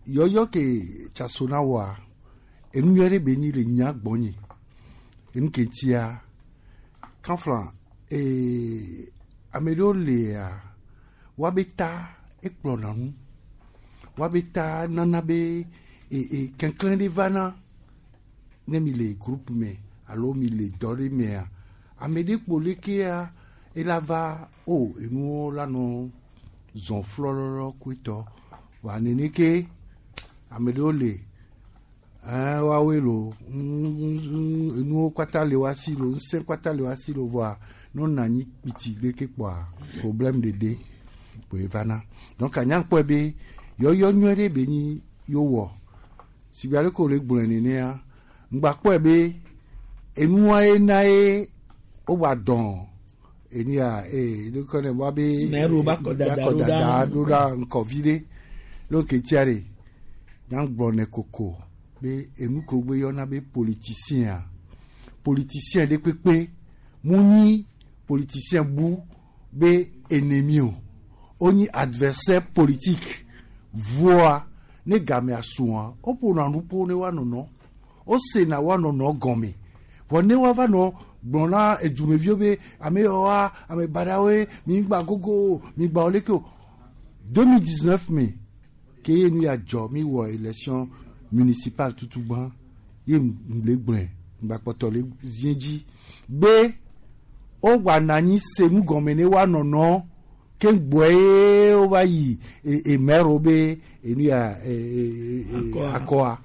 yɔyɔ ke tsasona wɔa enu nyuie ɖe be nyi le nya gbɔnye enu ke tia kanfla ame ɖewo lea woabe ta ekplɔna nu woabe ta nana be kɛnklɛn ɖe vana ne mi le groupe me alo mi le dɔ ɖe mea ame ɖe kpo lekea ela va o enuwo la nɔ zɔn flɔlɔlɔ koetɔ wa nene ke ame ɖewo le woawoe lo enuwo kpata le wa si lo ŋusẽ kpata le wa si lo vɔa ne wonɔ anyi kpiti leke kpoa problème ɖeɖe kpoe vana donc anyankpɔe be yɔyɔ nyuie ɖe be nyi yowɔ sigbe ale ko le gblɔe nenea ŋgba kpɔe be enua ye na ye wogba dɔn enu ya ɖekɔ ne wa be Mɛro ba kɔ dada kɔ dada ɖo ɖa ŋkɔvi ɖe lóke tia ɖe nyagblɔ ne koko be enu ko gbe yɔna be politicien politicien ɖe kpekpe mu nyi politicien bu be ennemi o wonyi adversaire politique voa ne gamea sua woƒona nu ƒo ne woanɔnɔ wosena woanɔnɔ gɔme vɔ ne woava nɔ Gblɔ na edumeviwo be ame yawoa ame baɖawoe mi gba gogo o mi gba wo leke o. 2019 me ke ye nu ya dzɔ mi wɔ élection municipale tutugbã ye ŋle gblɔe ŋgba kpɔtɔ le zie dzi be wogba nɔ anyi se nu gɔme ne woanɔnɔ ke gbɔe ye wova yi e maire wo be enu ya e e e akɔa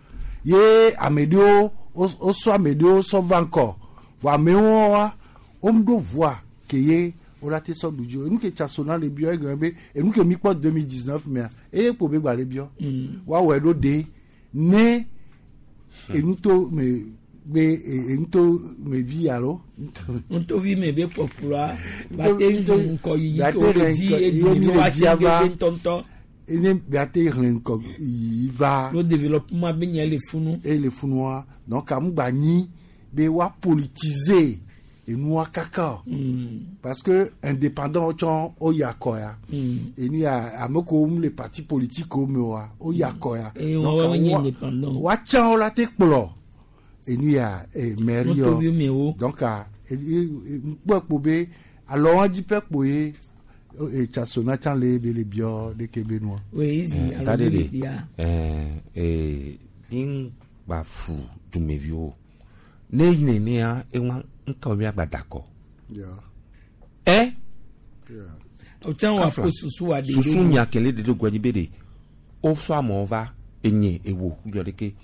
ye ame ɖewo wosɔ ame ɖewo sɔ va ŋkɔ vɔ amewo wa womeɖo voa ke ye wola te sɔ ɖu dzi o. Enu ke Tsatsona le biɔ egɔme be enu ke mi kpɔ 2019 mea eye kpo be gba le biɔ. Woawɔe ɖo ɖe ne enuto me be enuto me vi alo nutovi me be kpɔkplɔa ba te ŋu ŋkɔyiyi ke wole dzi ye mi le dzi ava ŋutɔŋutɔ. Ene bia te hlẽ ŋkɔ yiyi va. No développement be nye le funu. E le funua donc amu gba nyi be wa politiser enua kaka. Parce que indépendant tsɔ o ya kɔ ya. Enu ya ame ko mu le parti politique wo me wa o ya kɔ ya. Donc wa nye indépendant. Wa tsã wo la te kplɔ enu ya mairie yɔ. Donc ŋkpɔ kpo be alɔ wa dzi ƒe kpo ye Tsatsona tsã le be le biɔ ɖeke be nua. Oui, easy. Ta ɖe ɖe ɛɛ mi gba fu dumeviwo ne yi nenea ewa ŋka mi agba da kɔ. Ɛ. O tsã wa ko susu wa de. Susu nya kele de do gbɔdzi be de o sɔ amewo va enye ewo yɔ ɖeke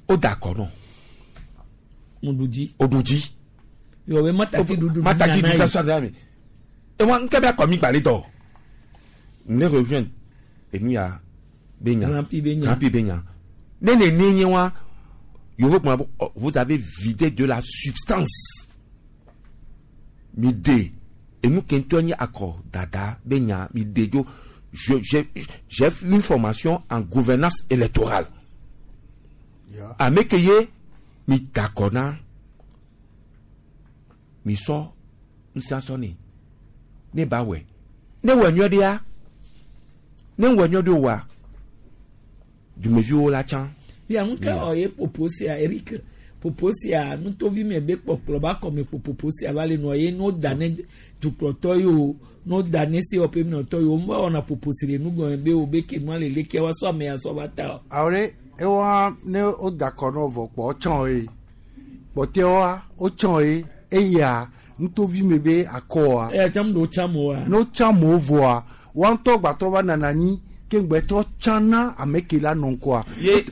o da kɔ nɔ. O ɖu dzi. O ɖu dzi. Yɔ be matati ɖuɖu. Matati ɖuɖu sɔ de ame. Ewa ŋkɛ be akɔ mi gbalẽ dɔ. Ne rejoindre enu ya be nya. Grand Prix be nya. Grand Prix be nya. Ne ne ne nye wa yovo kuma vous avez vidé de la substance. Mi de enu kentɔ nye akɔ dada be nya mi de dzo. Je j'ai j'ai une formation en gouvernance électorale. Ame ke ye mi dakɔ na mi sɔ ŋusẽ ne ne ba wɛ ne wɔ nyɔ ɖea ne wɔ nyɔ ɖe wa dumeviwo la tsã. Bia ŋu ke ɔ ye popo sia Eric popo sia nutovi me be kpɔkplɔ ba kɔme kpo popo sia va le nɔ ye n'o da ne dukplɔtɔ yi o n'o da ne COP nɔtɔ yi o n ba wɔna popo si le nugɔme be o be ke nua le leke wa sɔ ame ya sɔ va ta o. Awɔ ɖe ewa ne o da kɔ nɔ vɔ kpɔ tsɔ ye kpɔtɛwa o tsɔ ye eya nutovi me be akɔa. Eya tsam do tsam oa. N'o tsam o vɔa wa ŋutɔ gbatrɔ va nana anyi ke ŋgbɛtrɔ tsana ame ke la nɔ ŋkɔa.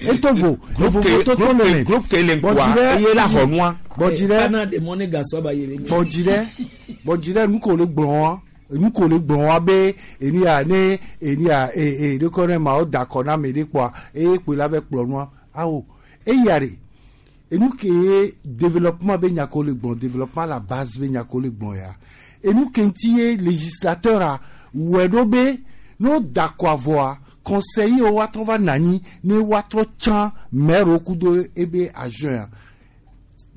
Etovo vovovo toto le me. Groupe ke le ŋkɔa eye la xɔ nua. Bɔdzi ɖe Ana de mɔ ne gasɔ ba yele. Bɔdzi ɖe bɔdzi ɖe nu ko le gblɔ wa nu ko le gblɔ wa be enu ya ne enu ya ee ɖekɔ ne ma wo da kɔ na ame ɖe kpɔa eye kpoe la vɛ kplɔ nua awo eya ɖe enu ke ye développement be nya ko le gblɔ développement la base be nya ko le gblɔ ya enu ke ŋuti ye législateur a wɔe ɖo be n'o da kɔ avɔa conseiller wo woatrɔ va nɔ anyi ne woatrɔ tsã maire wo kudo ebe adjoint ya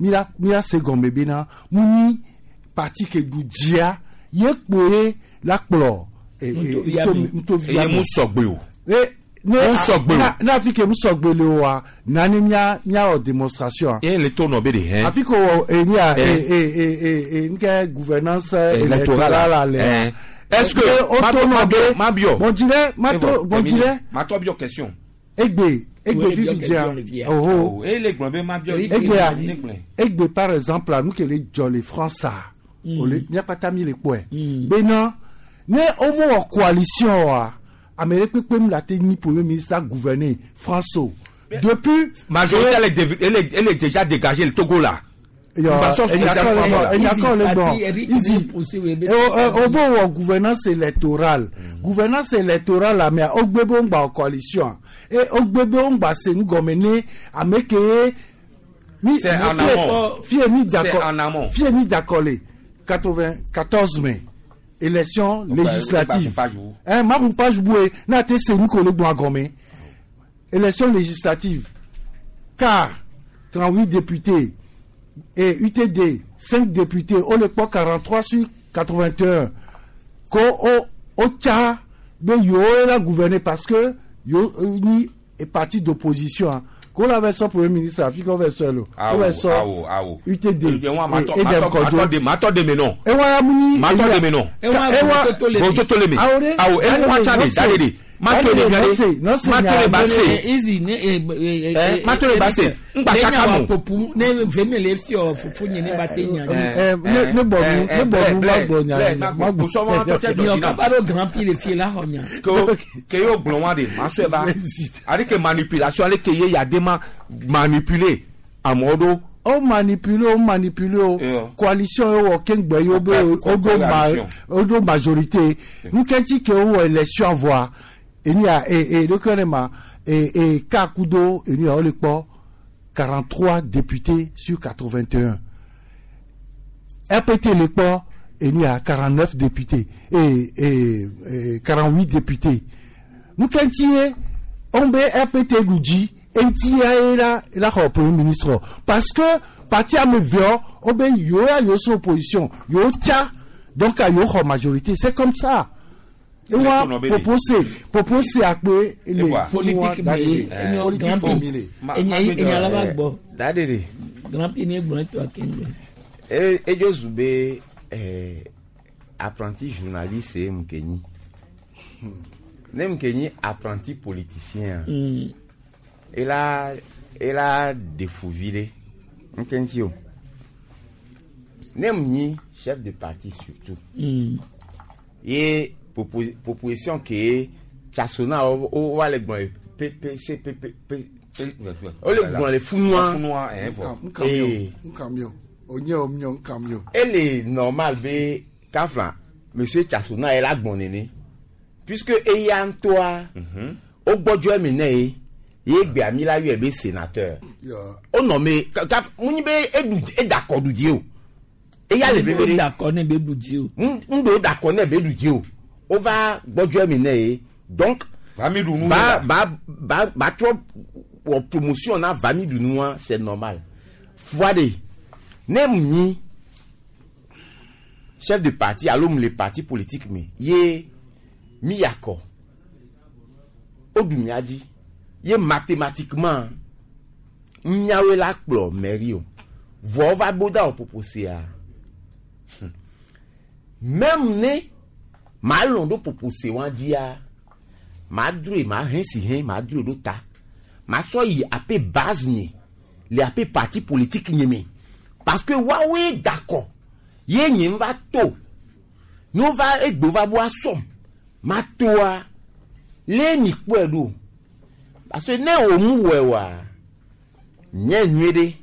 mila mila se gɔme bena mu nyi parti ke ɖu dzia ye kpoe la kplɔ nutovia eye mu sɔgbe o. E ne Mu sɔgbe o. ne afi ke mu sɔgbe le oa nani mia miawɔ démonstration. Ye le to nɔ be de hɛn. Afi ko wɔ eni a e e e e nke gouvernance électorale le. Hein. Est-ce que o to nɔ be ma biɔ. Bɔnji dɛ ma to bɔnji dɛ. Ma tɔ biɔ question. Egbe egbe vivi dzia oho E le gblɔ be ma biɔ. egbea egbe par exemple nu ke le dzɔ le France a ole miakpata mi le kpɔe bena ne womewɔ coalition oa ame ɖe kpekpe mu la te nyi premier ministre a gouverner France o depuis. Majorité elle est elle est elle est déjà dégagée le Togo là. Enyakɔ le gbɔ easy o bo wɔ gouvernance électorale gouvernance électorale la mea o gbe be wo ŋgba wɔ coalition e o gbe be wo ŋgba se nu gɔme ne ame ke ye mi C'est en amont. fie mi C'est d'accord en amont. fie mi d'accord le 94 mai élection législative hein ma kun page boué n'a te se nu ko le gbɔn agɔme élection législative car 38 députés et UTD 5 députés o le kpɔ 43 sur 81 ko o o tsa be yewo la gouverner parce que yewo nyi parti d'opposition. Ko la va sɔ premier ministre afi ko va sɔ lo. O Awo, va sɔ awo, awo. UTD. Ewa ma tɔ- e ma Edem tɔ- Kɔdzo. ma tɔ de- ma tɔ de me nɔ. Ewa ya mu ni. Ma tɔ de me nɔ. Ewa Vototo le me. Awo de. Awo, ewa tsa de, da de de. Ma to le mia de. Ma to le ba se. Easy ne Eh, ma to le ba se. Ŋgba tsaka mo. Popu ne veme le fiɔ fufu nye ne ba te nya. Ne bɔ nu ne bɔ nu ma gbɔ nya ma gbɔ. Miɔ kaba ɖo grand prix le fie la xɔ nya. Ke wo- ke yo gblɔ wa de ma sɔe va. Ale ke manipulation ale ke ye ya de ma manipuler amewo ɖo. O manipule o manipule o coalition ye wɔ keŋgbɛ ye o be o do ma o do majorité nukɛnti ke o wɔ élection voa enu ya e e ɖokui ne ma e e ka kudo enu ya o le kpɔ 43 députés sur 81 RPT le kpɔ enu ya 49 députés e e e 48 députés nukɛnti ye on be RPT ɖu dzi eŋuti ya ye la la xɔ premier ministre parce que parti ame veɔ wo be yewo ya yewo so opposition yewo tsa donc yewo xɔ majorité, c'est comme ça. Ewa propose propose akpe ele Politique me ye enyo grand prix. Enya enya la ba gbɔ. Da de de. Grand prix ne gblɔ to akengbe. E edzo zu be apprenti journaliste ye mu ke nyi. Ne mu ke nyi apprenti politicien. Ela ela defuvi ɖe ŋke ŋuti o. Ne mu nyi chef de parti surtout. Ye proposition ke Tchasona o o va le gblɔ ye P P C P P P P o le gblɔ le funua. Funua, eh, vɔ. Nkam yo nkam yo onye o miɔ nkam yo. Ele normal be kafla monsieur Tchasona ye la gbɔn nene puisque eya ŋutɔa o gbɔdzɔ eme ne ye ye gbea mi la yɔe be sénateur. O nɔ me kaf mu nyi be eɖu eda kɔ ɖu dzi o eya le veve ɖe. Da kɔ ne be ɖu dzi o. N do da kɔ ne be ɖu dzi o o va gbɔdzɔ eme ne ye donc. Va mi ɖu nu ba la. Ba ba ba trɔ wɔ promotion na va mi ɖu nua, c'est normal. Fua de ne mu nyi chef de parti alo mu le parti politique me ye mi ya kɔ o ɖu mia dzi ye mathématiquement miawoe la kplɔ mairie o vɔ wova bo da wɔ proposea même ne maa lɔn ɖo propose wa dzia maa droe maa hɛn si hɛn maa droe ɖo ta maa sɔ yi ape base nye le ape parti politique nye me parce que woawoe da kɔ ye nye va to ne wova egbe va bo asɔm ma toa le mi kpɔe ɖo parce que ne o mu wɔe wa nye nyuie ɖe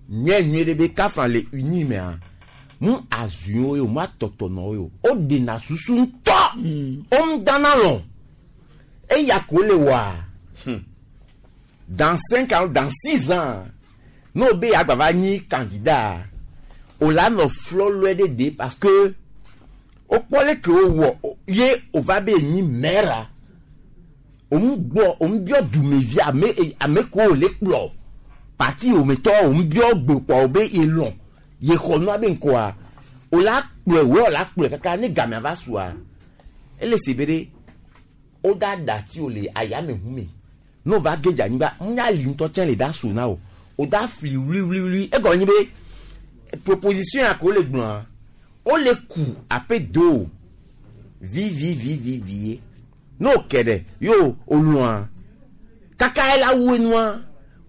nye nyuie ɖe be kafa le uni mea mu azuiwo ye o mu atɔtɔnɔwo ye o o ɖena susu ŋutɔ o mu dana lɔ eya ko le wɔa dans 5 ans, dans 6 ans n'o be agbava va nyi candidat o la nɔ flɔlɔe ɖe de parce que o kpɔ le ke o wɔ ye o va be nyi maire o mu gbɔ o mu biɔ dumevi ame ame ko o le kplɔ parti o me tɔ o mu biɔ gbe kpɔ o be ye lɔn ye xɔ nua be ŋkɔa o la kplɔe wo o la kplɔe kaka ne gamea va sua ele si be ɖe o da dati o le ayame hu me n'o va ge dze anyigba nya li ŋutɔ tsɛ le da so na o o da fli wluiwluiwlui egɔme nye be proposition ya ko le gblɔa o le ku ape do o vivivivivi ye n'o kɛ ɖe yo o lɔa kaka ye la wu enua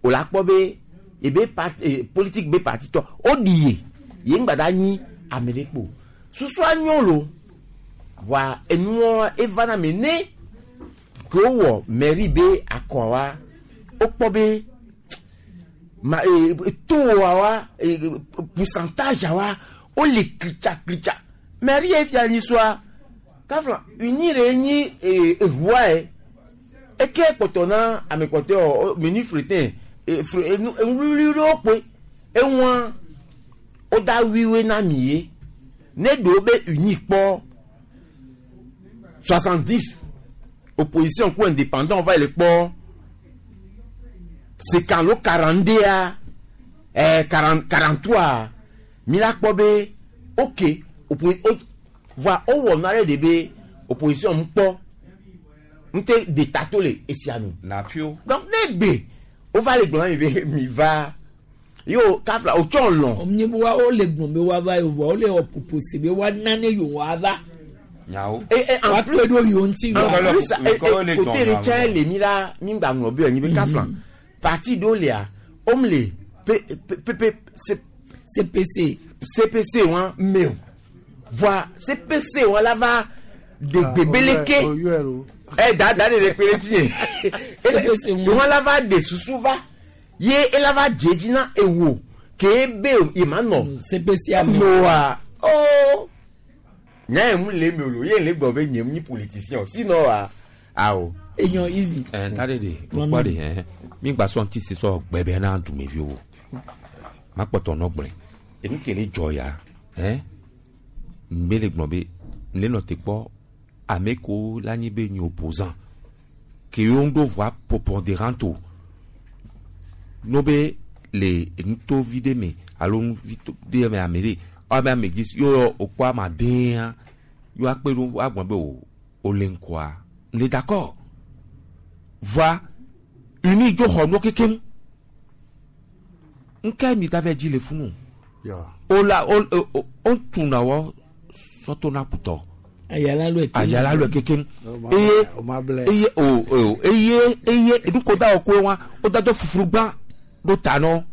o la kpɔ be ebe parti politique be parti tɔ o ɖi ye ye ŋgba da nyi ame ɖe kpo susua nyɔ lo voa enua eva na me ne ke wowɔ mairie be akɔa wokpɔ be ma toa wa pourcentage wa wole klitsa klitsa mairie ye fia nyi soa kafla uni re nyi eʋua ye eke kpɔtɔ na ame kpɔtɔe menu fretin enu wluwlu ɖewo kpoe eŋua woda wuiwoe na mi ye ne ɖewo be uni kpɔ 70 opposition ku indépendant va le kpɔ sekan lo 42 a 40 43 mi la kpɔ be ok voa wowɔ nu aɖe de be opposition mu kpɔ ŋute de tato le esia nu. Napio. Donc ne gbe Wova le gblɔ na mi be mi va. Yo kafla o tsɔ lɔn. Nye be wa wole gblɔ be woava ye vɔa wole wɔ poposi be woana ne yewoava. Nyawo. Et, et en Woakpe plus, ɖo yewo ŋuti en yewoava. plus, et, et, côté ɖe tsã le mi la mi gba ŋlɔ be anyi be kafla. Parti ɖewo lia, wom le P P P C CPC. CPC wa me o. Voa CPC wa la va de gbebeleke. Ɛ da da de le kpe ɖe dzi ye. Wa la va de susu va ye ela va dze dzi na ewo ke be ye ma nɔ. CPC ame. Noa oh nya ye mu le eme o lo ye le gblɔ be nye mu nyi politicien o sinon wa awo. Enyɔ easy. Ɛ ta de de o kpɔ de hɛn mi gba sɔn ti si sɔ gbɛbɛ na dumeviwo ma kpɔtɔ nɔ gblɔe enu ke le dzɔ ya hɛn nbe le gblɔ be ne nɔ te kpɔ ame ko la nyi be nyi opposant ke yewo ŋu ɖo voix prépondérante o no be le nutovi ɖe me alo nuvi to ɖe me ame ɖe ame ame dzi yɔ wòkpɔ ama dea yɔ akpe ɖo agblɔ be o o le ŋkɔa le d'accord voa uni dzo xɔ nuwo kekem ŋka mi da vɛ dzi le funu o la o o o tuna wɔ sɔtona kutɔ Ayala lɔ ayala lɔ kekem eye eye o o eye eye eduko da wɔ koe wa o da dɔ fufuru gbã ɖo ta nɔ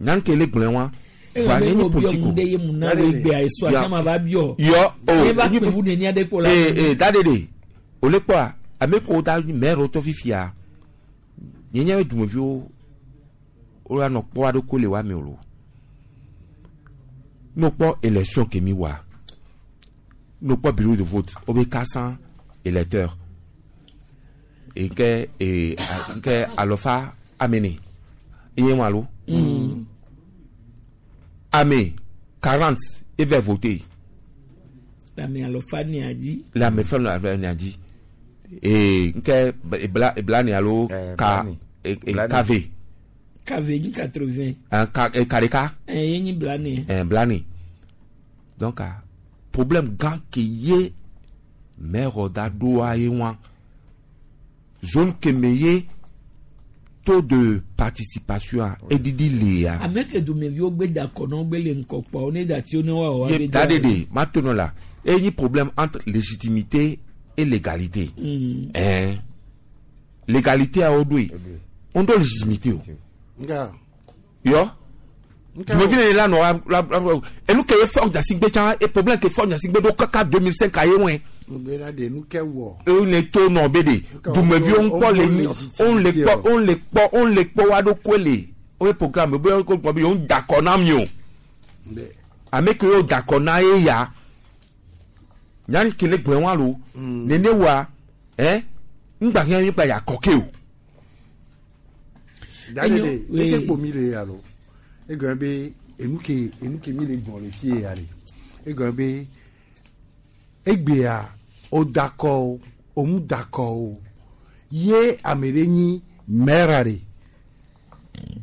nyanke le gblẽ wa Eye be wo biɔ mu ɖe ye mu na wo gbea esɔ ati ma va biɔ. Yɔ o Ne va kpe ʋu nenia ɖe kpo la. Ee ee da de de o le kpɔa ame ko da mɛro tɔ fifia nye nye be dumeviwo wo la nɔ kpɔ aɖe ko le wa me o lo n'o kpɔ élection ke mi wa n'o kpɔ bureau de vote o be 400 électeurs e ke e nke alɔfa amene eye wa lo ame 40 eve voter Ame alɔfa ni adi. le ame fɛn lɔ ame dzi ee nke ebla ebla ni alo ka e e kave Kave nyi 80. ɛn ka e ka ɖeka Ɛ ye nyi blani. ɛn blani donc ah, problème gã ke ye maire da ɖoa ye wa zone keme ye taux de participation a eɖiɖi lia. Ame ke dumeviwo gbe da kɔ nɔ gbe le ŋkɔ kpɔ wo ne dati wo ne wa wɔ ye da de de ma to nɔ la e nyi problème entre légitimité et légalité. Ɛn légalité a wo ɖoe on ɖo légitimité o. Nga. Yɔ dumevi le la nɔ la la la enu ke ye Faure Gnassingbé tsã e problème ke Faure Gnassingbé ɖo kaka 2005 a ye wɔe. Ŋgbe la de nu ke wɔ. E le to nɔ be de dumeviwo ŋkpɔ le nyi on le kpɔ on le kpɔ on le kpɔ wa ɖo koe le wo programme be wo gblɔ be yewo da kɔ na mi o ame ke yewo da kɔ na ye ya nyani ke le gblẽ wa lo nene wa ɛ ŋgba hiã mi kpa ya kɔ ke o. Da de de eke kpo mi le ya lo. Egɔme be enu ke enu ke mi le gbɔn le fie ya le. Egɔme be egbea o da kɔ o o mu da kɔ o ye ame ɖe nyi maire ɖe.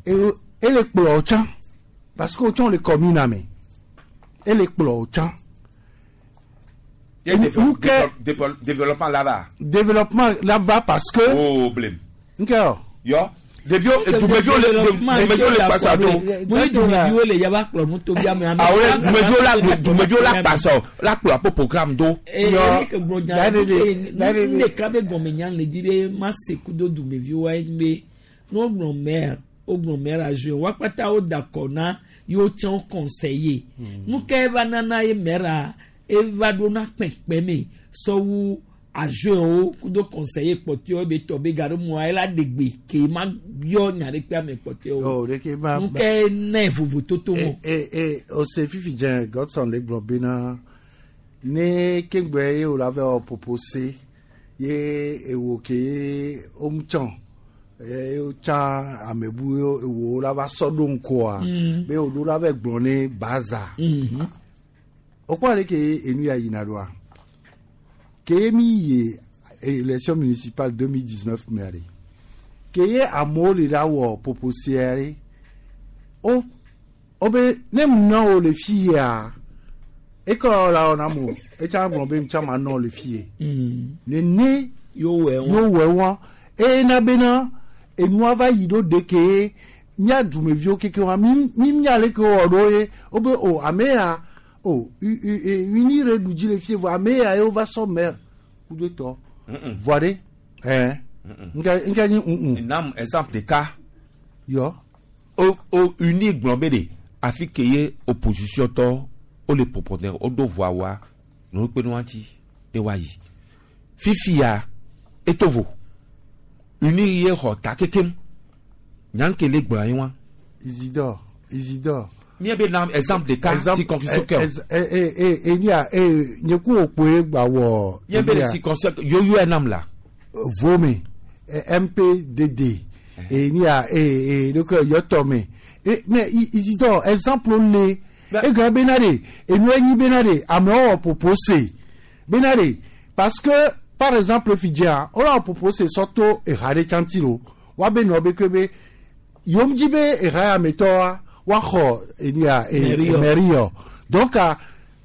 E ele kplɔ wo tsã parce que wo tsã le commune me. Ele kplɔ wo tsã. Nu ke développement là-bas. développement là-bas parce que. Problème. Nke o. Yɔ ɖeviwo dumeviwo le dumeviwo le kpasɔ do. Mo ye dumeviwo le yaba kplɔ nutovi ame ame. Awo le dumeviwo la dumeviwo la kpasɔ la kplɔ apo programme do. Ee ke gblɔ nya ɖe ne ɖeka be gɔme nya le dzi be ma se kudo dumeviwo wa be ne wogblɔ maire wogblɔ maire adjoint wa kpata wo da kɔ na yewo tsã wo conseiller. Nu ke eva nana ye maire eva ɖo na kpekpe me sɔwu adjoint wo kudo conseiller kpɔtɔewo be tɔ be gaɖo mua ela ɖe gbe ke ma yɔ nya ɖe kpe ame kpɔtɔewo. O de ke ma. Nu ke ne vovototo mo. E e o se fifi dze Godson le gblɔ bena ne kegbe ye o la vɛ wɔ propose ye ewo ke ye o mu tsã ye o tsã ame bu ye ewo la va sɔ ɖo ŋkɔa be o ɖo la vɛ gblɔ ne baza. O kpɔ ale ke enu ya yina ɖoa ke mi ye élection municipale 2019 mea ɖe ke ye amewo le la wɔ proposea ɖe o o be ne mu nɔ wo le fi ya ekɔ la wɔ na mo etsã gblɔ be ŋtsã ma nɔ le fi ye nene yóò wɛ yóò wɛ wɔn eye na bena Enua va yi ɖo de ke mía dumeviwo keke wa mi mi mía le ke wɔ ɖo ye wobe o ame ya o uni re ɖu dzi le fie vɔ ame ya ye wova sɔ maire kudo etɔ vɔa ɖe ɛɛ nka nka nyi ŋu. Nam exemple ɖeka. Yɔ. O o uni gblɔ be de afi ke ye opposition tɔ wo le proponent wo ɖo voa wa nɔ kpe nua ŋuti ne woayi. Fifia etovo uni ye xɔ ta kekem nyanke le gblɔ anyi wa. Isidore Isidore. Mía be nam exemple ɖeka circonscription kɛ o. E enia e nye ku okpoe gba wɔ. Mía be le circonscription yoyo nam la. Vome MPDD enia e e donc yɔtɔ me e mais Isidore exemple le egbe bena de enu enyi bena de amewo wɔ propose bena de parce que par exemple fidzia wole wɔ propose sɔto eha ɖe tsanti lo woabe nɔ be ke be yom dzi be eha ya me tɔa woaxɔ enia e mairie yɔ donc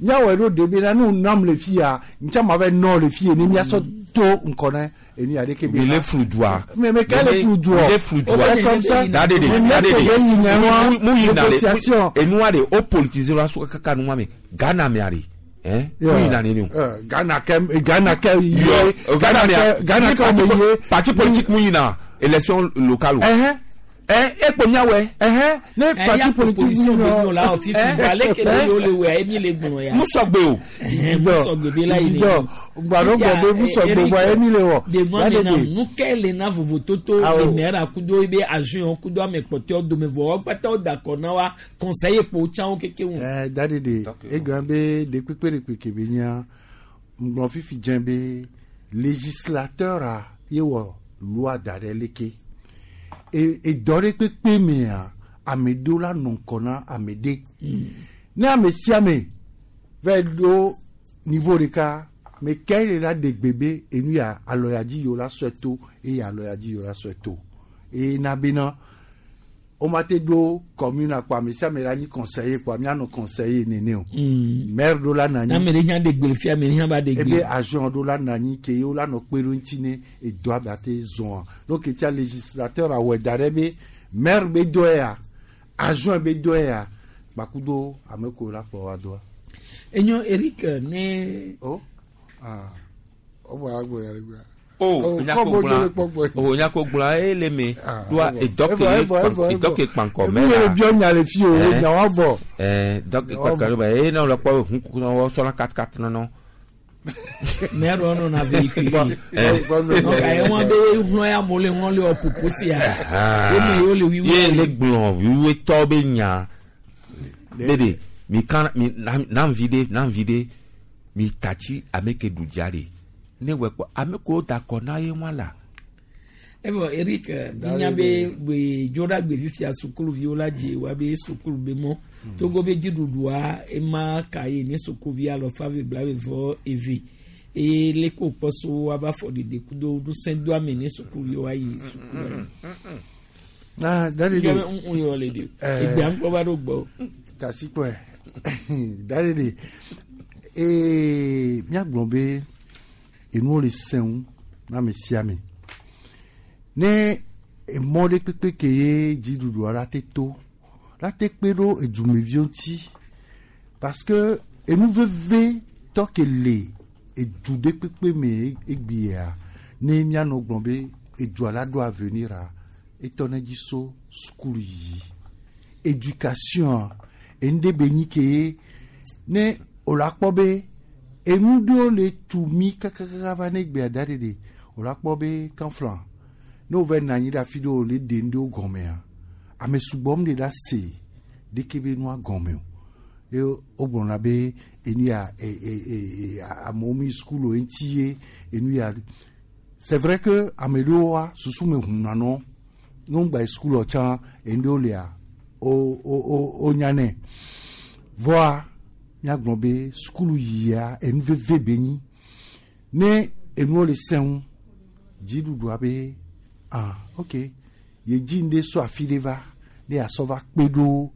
míawɔe ɖo de bena ne wonam le fia ŋtsa ma va nɔ le fie ne míasɔ to ŋkɔ ne enia ɖeke be. Mi le flu dua. Mais mais quel est flu dua? Mi le flu dua. C'est comme ça. Da de de da de de. Mu yina le enua de o politiser la so kaka nua me Ghana mea de. Hein? Mu yina ne o. Ghana kɛ Ghana kɛ ye. Ghana mea Ghana kɛ me ye. Parti politique mu yina élection locale o. Ekpo miawɛ. Ne parti politique mu yina. La o fifi ale kele yo le wɛ emi le gblɔ ya. Musɔgbe o. Musɔgbe be la yi ne. Gbadɔgbɔ be musɔgbe bɔ emi le wɔ. Devant le na nu ke le na vovototo le maire kudo ebe agent kudo ame kpɔtɔewo dome vɔ wo kpata wo da akɔ na wa conseiller kpo tsã wo keke ŋu. Ɛɛ dadi de egblɔ be ɖekpekpe ɖekpe ke be nya ŋgblɔ fifi dze be législateur a ye wɔ loi da ɖe leke. Edɔ ɖe kpekpe mea ame ɖewo la nɔ ŋkɔ na ame ɖe. Ne ame sia ame va ɖo niveau ɖeka me ke le la ɖe gbe be enu ya alɔ ya dzi yewo la sɔe to eye alɔ ya dzi yewo la sɔe to eye na bena woma te ɖo commune kpɔ ame sia ame la nyi conseiller kpɔ mianɔ conseiller nene o. Maire ɖo la nɔ anyi. Ame ɖe hã ɖe gbe le fia ame ɖe hã va ɖe gbe. Ebe agent ɖo la nɔ anyi ke yewo la nɔ kpe ɖo ŋuti ne edɔa ba te zɔa. Donc etia législateur awɔe da ɖe be maire be dɔe ya agent be dɔe ya kpakudo ame ko la kplɔ wa doa. Enyo Eric ne. O ah o bɔra gblɔ ya ɖe gbea. O nyako gblɔ o nyako gblɔ ele me doa edɔ ke kpankɔ mɛ la. Mi biɔ nya le fi o nya wa vɔ. Ɛɛ dɔ ke kpankɔ mɛ eye ne le kpɔ hun wɔ sɔna katkat nɔnɔ. Mɛ rɔ nɔ na véhicule. Donc ayi wɔn be hlɔ ya mo le hlɔ le wɔ popo sia. O me ye o le wiwi. Ye le gblɔ wiwi tɔ be nya. Bebe mi kan mi nam vi de nam vi de mi tatsi ame ke du dza de. Ne wɔ kpɔ ame ko da kɔ na ye wa la. Evɔ Eric minya be gbe dzoɖa gbe fifia sukuluviwo la dze wa be sukulu be mɔ Togo be dziɖuɖua ema ka ye ne sukuvi alɔfa ve bla ve vɔ eve eye le ko kpɔ so wa ba fɔ ɖeɖe kudo ŋusẽdoame ne sukuluviwo ayi sukulu. Na dadi de. Yɔ be ŋu yɔ le de. Egbea ŋkpɔ va ɖo gbɔ. Tasikpɔe dadi de ee miagblɔ be enuwo le sẽŋu na ame sia ame. Ne emɔ ɖe kpekpe ke ye dziɖuɖua la te to la te kpe ɖo edumeviwo ŋuti parce que enu veve tɔ ke le edu ɖe kpekpe me egbea ne mianɔ gblɔ be edua la ɖo avenir a etɔ ne dzi so sukulu yiyi éducation enu ɖe be nyi ke ye ne wòle akpɔ be enu ɖewo le tu mi kakakaka va ne gbea da ɖe de wòle akpɔ be kanflan ne wova nɔ anyi ɖe afi ɖewo le ɖe nu ɖewo gɔmea ame sugbɔ mu ɖe la se ɖeke be nua gɔme o ye wogblɔna be enu ya amewo mi sukulu ŋuti ye enu ya c'est vrai que ame ɖewoa susu me ʋuna nɔ ne wogba yi sukulu tsã enu ɖewo lia o o o wonyanɛ vɔa míagblɔ be sukulu yia enu veve be nyi ne enuwo le sẽŋu dziɖuɖua be ah ok ye dzi ŋɖe so afi ɖe va ne asɔ va kpe ɖo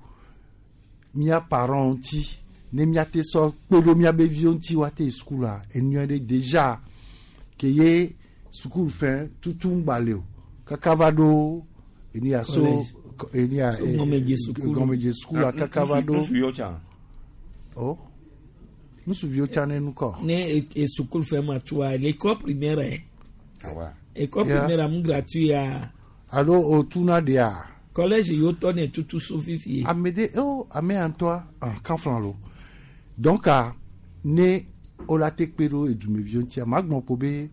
mía parents ŋuti ne míate sɔ kpe ɖo míabe viwo ŋuti woate yi sukulua enua ɖe déjà ke ye sukulu fɛn tutu ŋgba le o. Kaka va ɖo enia so Collège. enia So gɔmedze sukulu. gɔmedze sukulu kaka va ɖo. Nusuviwo tsã. O nusuviwo tsã ne nukɔ. Ne e sukulu fɛ ma tsoa l'école primaire Awa. école Yeah. primaire amu gratuit ya. Alo o tuna dea. Collège yóò tɔ ne tutu so fifi. Ame de o ame ya ŋutɔa ah kan flan lo donc ah, ne wola te kpe ɖo edumeviwo ŋutia ma gblɔ ko be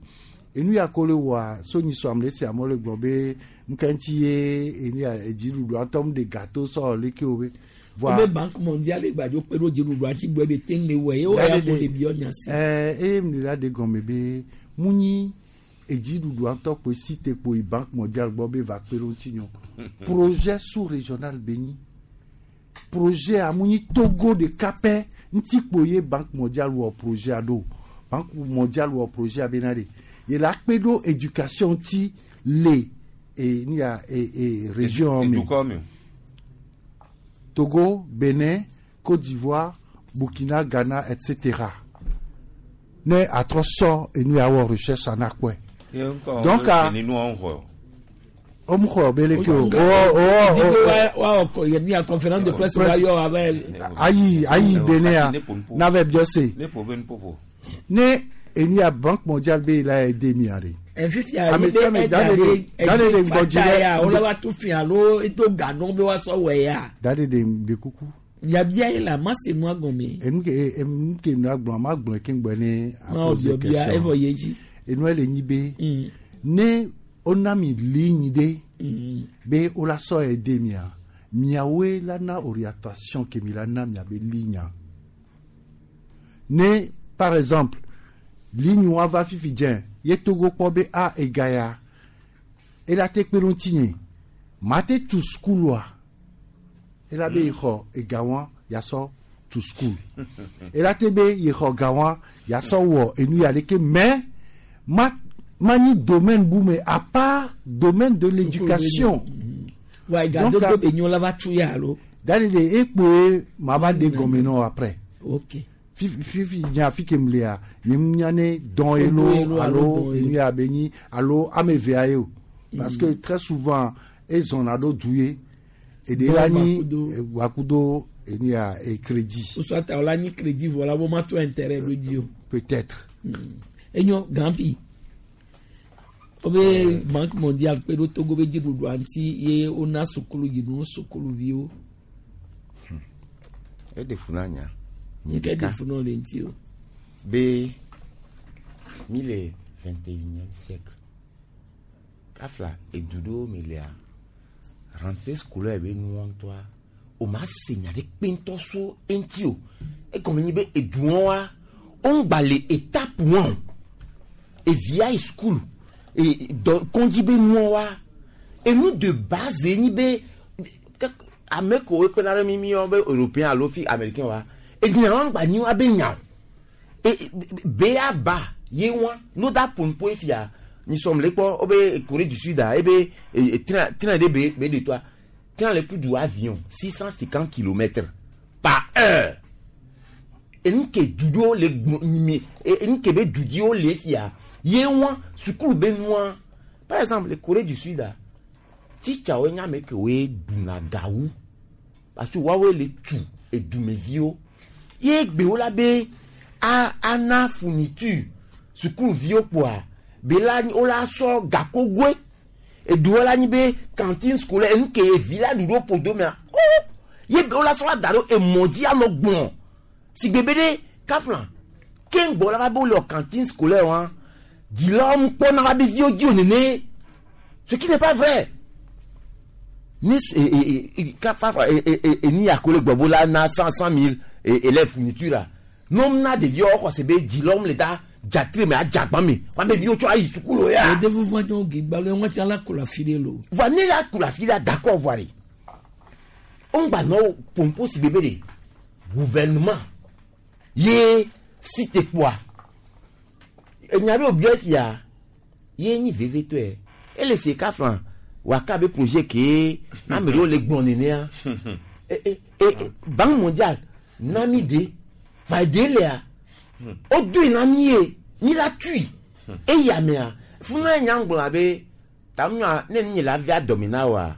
enu ya ko le wɔa sonyiso ame le si amewo le gblɔ be nuka ŋuti ye enu ya edziɖuɖua ŋutɔ mu ɖe gato sɔ leke wo be Voa be banque mondiale gbadzo kpe ɖo dziɖuɖua ŋuti gbɔ be te ŋu le wɔ ye wɔ ya mo le biɔ nya si. Ɛɛ eye mi la de gɔme be mu nyi edziɖuɖua ŋutɔ kpoe si te kpo yi banque mondiale gbɔ be va kpe ɖo ŋuti nyɔ projet sous régional be nyi projet a mu nyi Togo ɖeka pɛ ŋuti kpo ye banque mondiale wɔ projet a ɖo banque mondiale wɔ projet a bena ɖe ye la kpe ɖo éducation ŋuti le e nu ya e e région me. Edukɔ me. Togo, Bénin, Côte d'Ivoire, Burkina, Ghana, etc. Ne atrɔ sɔ enu ya wɔ recherche anakpɔe. Ye ŋkɔ Donc, ah, eni nua ŋxɔ. O mu xɔ be leke o. Di O ko o wa wa kɔ yɛ mi a conférence de presse wa yɔ abe. ayi ayi Bénin ya navɛ biɔ se. Ne ƒo be nuƒoƒo. Ne enu ya Banque mondiale be la aider mia de. Fifia Ame yi sia be ame ɛda da ɖe ɖe da ɖe ɛdi ɖe ŋgɔdzi fata ɖe- ya wòle wa tu fia alo edo ganɔ be wa sɔ wɔ ya. Da ɖe ɖe ɖe kuku. Yabia yi la ma se nua gɔme. Enu ke enu ke nua gblɔ ma gblɔ ke ŋgbɔ ne Ma wɔ biɔbia evɔ ye dzi. Enua le nyi be ne wona mi ligne ɖe be wola sɔ aider mia miawoe la na orientation ke mi la na miabe ligne ne par exemple ligne wa va fifi dze ye Togo kpɔ be a ega ya ela te kpe ɖe ŋutinye ma te tu sukulua ela be yi xɔ ega wa yasɔ tu sukulu ela te be yi xɔ ga wa yasɔ wɔ enu ya ɖeke mais ma ma nyi domaine bu me à part domaine de l'éducation. Wa Donc, egadodo ah, be nyo la va tu ya alo. Dadi de ekpoe ma va de gɔme nɔ après. Ok. Fifi fifi nya fi ke m lea nye m nya ne dɔn ye Odo ye lo lo, alo alo dɔn ye enu lo. ya be nyi alo ame evea ye o parce que très souvent ezɔna ɖo du ye eɖe Dɔn la nyi gbakudo. gbakudo enu ya e crédit Soit wòle anyi crédit vɔ la wo ma tɔ intérêt ɖo dzi o. peut-être. Enyo grand prix. Wobe banque mondiale kpe ɖo Togo be dziɖuɖua ŋuti ye wona sukulu yi nu sukuluviwo. Eɖe fu na nya. Nye Nke ɖe ɖeka. fu nɔ le ŋuti o. Be mi le 21e siècle. Kafla edu ɖewo me lea rentrée scolaire be nua ŋutɔa o ma se nya ɖe kpe ŋutɔ so eŋuti o. Egɔme nyi be eduɔ wa wo ŋgba le étape wɔn o. Evia yi school e dɔ kɔndzi be nua wa enu de base ye nyi be ame kewo kpena ɖe mi mi yɔ be européen alo fi américain wa enya wa ŋgba nyi wa be nya o. E be ya ba ye wa no da pompo fia ni som le kpɔ wobe Corée du Sud a ebe e, e, train train ɖe be be de toa train le plus du avion 650 kilomètres par heure enu ke du ɖewo le gbɔ nyimi enu ke be du dziwo le fia ye wa sukulu be nua par exemple le Corée du Sud a titsawo nye ame kewoe ɖuna gawu parce que woawoe le tu edumeviwo ye gbewo la be a ana fourniture sukuluviwo kpoa be la wo la sɔ gakogoe eduwo la nyi be cantine scolaire enu ke evi la ɖu ɖo ƒodo mea o ye be wo la sɔ la da ɖo emɔ dzi anɔ gblɔ sigbe be ɖe kafla keŋgbɔ la va be wo le wɔ cantine scolaire wa dzilawo mu kpɔna va be viwo dzi o nene ce qui n'est pas vrai ne e e e kafa e e e eni akole gbɔbo la na cent cent mille élèves fourniture la nom na ɖeviwo xɔ se be dzilawo le da dzatre me adzagba me wa be viwo tsɔ ayi sukulu ya. Yede vuvu anyɔ gigba lo ŋua tsa la ko la fi ɖe lo. voa ne la ku la fi la d'accord voa de o ŋgba nɔ pompo si bebe de gouvernement ye si te kpoa enya be obiɔ fia ye nyi vevetɔe ele se kafla waka be projet ke ame ɖewo le gblɔ nenea e e e banque mondiale na mi de va de lea o doe na mi ye mi la tui eya mea funa nya ŋgblɔ abe Ta nua ne nye la via dɔme na wa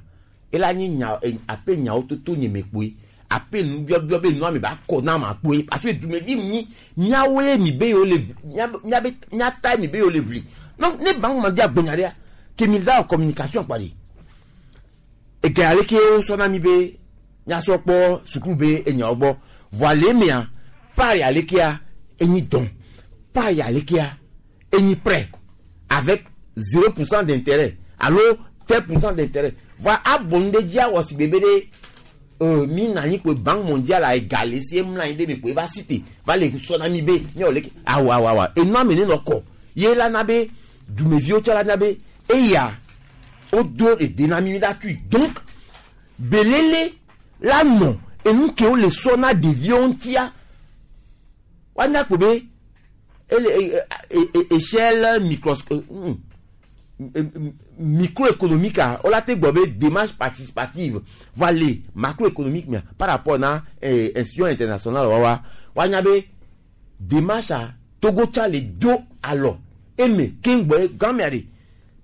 ela nye nya ape nyawo toto nye me kpoe ape nubiɔbiɔ be nua mi ba kɔ na ma kpoe parce que dumevi nyi miawoe mi be yewo le mia miabe miata mi be yewo le ʋli. Donc ne banque mondiale gbonya ɖea ke mi da communication kpa de ege ale ke wosɔ na mi be miasɔ kpɔ sukulu be enyawo gbɔ. Voa le emea part ya lekea enyi dɔn part ya lekea enyi prêt avec 0% d'intérêt alo 10% d'intérêt. Voa abonu ɖe dzi awɔ si bebe ɖe mi na anyi koe Banque mondiale a egale si emla anyi ɖe mi koe va cité va le sɔ na mi be miawɔ leke awa awa awa enua me ne nɔ kɔ ye la na be dumeviwo tsɔ la na be eya wodo ede na mi mi da tui. Donc belele la nɔ enu ke wo le sɔ na ɖeviwo ŋutia woanya ko be ele échelle microéconomique a wola te gbɔ be démarche participative va le macroéconomique mea par rapport na institution internationale wawa woanya be démarche a Togo tsa le do alɔ eme keŋgbɔ gamea de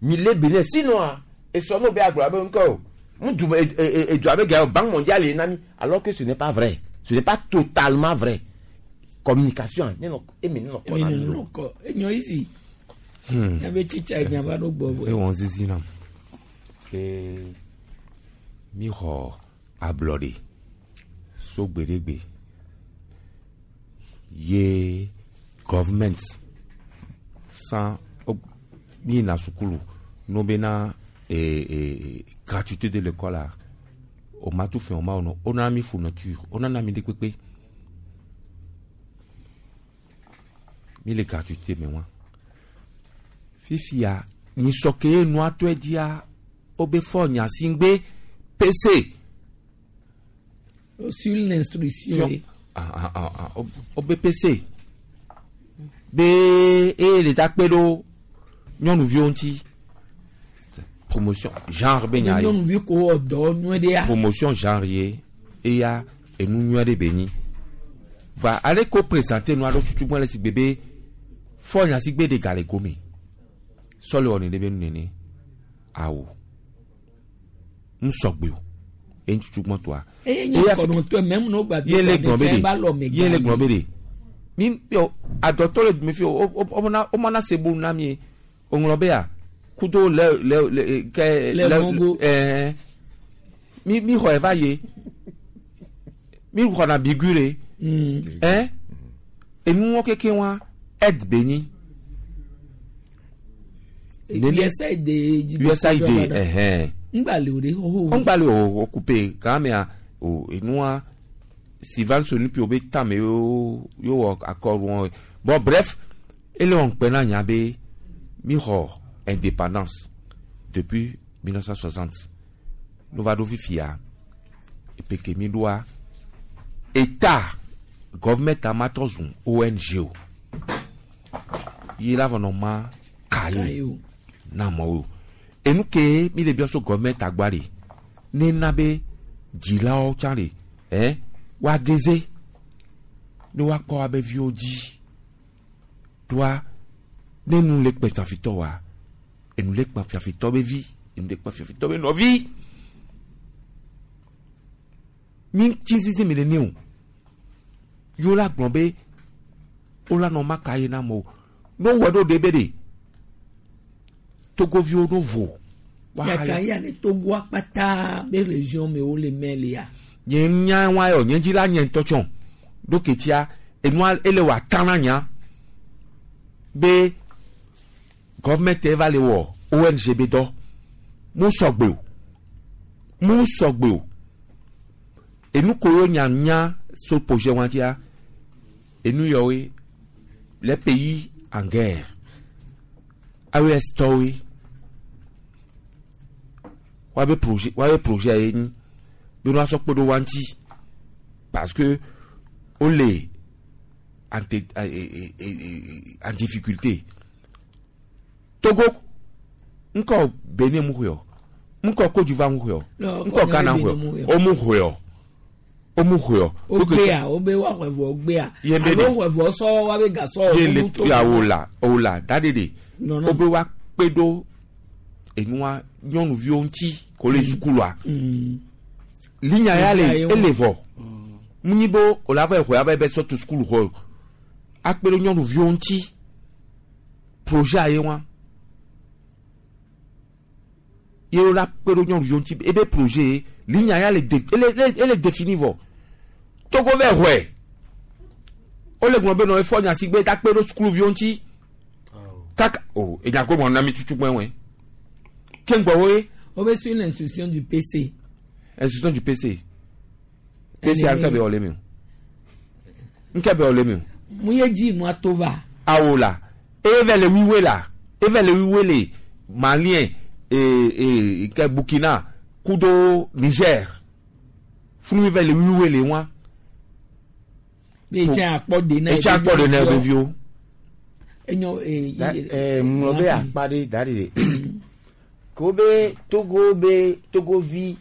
mi le Benin sinon a esɔ n'o be agblɔ abe ŋkɔ o ŋdu edu abe gã Banque mondiale ye na mi alors que ce n'est pas vrai, ce n'est pas totalement vrai. Communication ne nɔ eme ne nɔ kɔ na mi lo. Kɔ enyɔ isi. Nyabe tsitsa nyaba ɖo gbɔ vɔ. Ewɔn zizi nam ke mi xɔ ablɔɖe so gbeɖegbe ye government sans mi yina sukulu no bena gratuité de l'école a o ma tu fɛn o ma o nɔ o nana mi fourniture o nana mi de kpekpe mi le gratuité me wa fifia nyisɔ ke ye nua tɔe dzia o be fɔ nyasigbe PC. Sur l'instruction. Ah, ah, ah, ah, o be PC be eye le ta kpe ɖo nyɔnuviwo ŋuti promotion genre be nya ye. Nyɔnuvi ko wɔ dɔ nyuie ɖea. Promotion genre ye eya enu nyuie ɖe be nyi va ale ko présenter nua ɖo tutu gbɔ le si gbe be fɔ nyasigbe de gale gome sɔle wɔ ne ɖe be nu nene awo ŋusɔgbe o eye tutu gbɔ toa. Eye nye kɔnɔtɔ mɛmu n'o gba ye le gblɔ be de ba lɔ de me ye le gblɔ be de mi yo adɔtɔ le dume fi o o o mana se bolu na mi ye o ŋlɔ be ya kudo le le le kɛ Le mɔgo. Ɛɛ mi xɔ eva ye mi xɔna bigu le ɛ enuwɔ keke wa ɛd be nyi. USAID. USAID ɛhɛn. Ŋgbali o de xoxo. Ŋgbali o o coupe gamea o enua Sylvain Sonipi o be tame yo yo wɔ accord wɔn. Bon bref ele wɔn kpɛ na nya be mi xɔ indépendance depuis 1960 n'o va ɖo fifia epeke mi ɖoa état gɔvɛmɛnt amatɔ zun ONG o ye la vɔ nɔ ma kaye na amewo enu ke mi le biɔ so gɔvɛmɛnt agba de ne na be dzilawo tsã de ɛ woageze ne woakpɔ woabe viwo dzi toa ne nu le kpe fiafitɔ wa enu le kpe fiafitɔ be vi enu le kpe fiafitɔ be nɔvi mi tsi zizi mi le ne o yewo la gblɔ be wo la nɔ ma ka ye na amewo ne wowɔ ɖo ɖe be de togoviwo ɖo vo. Yaka ya ne Togo akpata be région me wo le mɛ le ya. Nye nya wa yɔ nye dzi la nye ŋutɔ tsɔ ɖo ketia enua ele wɔ ata na nya be gɔvɛmɛnt va le wɔ ONG be dɔ mu sɔgbe o mu sɔgbe o enu ko yo nya nya so projet wa tia enu yɔwoe les pays en guerre AES tɔwoe woabe projet woabe projet ye nyi be nua sɔ kpe ɖo wa ŋuti parce que wole en te en difficulté. Togo ŋkɔ Benin mu xɔe o ŋkɔ Côte d'Ivoire mu xɔe o ŋkɔ Ghana mu xɔe o mu xɔe o o mu xɔe o. O gbea o be wa xɔe vɔ gbea Ye be alo de. xɔe vɔ sɔ wa be gasɔ ye le ya o la o la da de de Non, non. o be wa kpe ɖo enua nyɔnuviwo ŋuti ko le sukulua linya ya le ele vɔ munyi be o la va xɔ ya va be sɔ tu sukulu xɔ akpe ɖe nyɔnuviwo ŋuti projet ye wa ye wo la kpe ɖe nyɔnuviwo ŋuti ebe projet linya ya le de ele ele défini vɔ Togo vɛ xɔe wole gblɔ be nɔ efɔ nya si gbe da kpe ɖe sukuluviwo ŋuti kaka o enya ko mɔ na mi tutu gbɛ wɛ ke ŋgbɔ wo ye. O bɛ suivre l'instruction du PC. Instruction du PC. PC a ŋkɛ bɛ wɔ le mi o ŋkɛ bɛ wɔ le mi o. Mun ye dzi nua to va. Awo la eve le wiwe la eve le wiwe le Malien ee ke Burkina kudo Niger funu eve le wiwe le wa. Etse akpɔ de na etse akpɔ de na ebe viwo. Enyo ee. Ɛɛ ŋlɔ be akpa ɖe da ɖi de ko be Togo be Togovi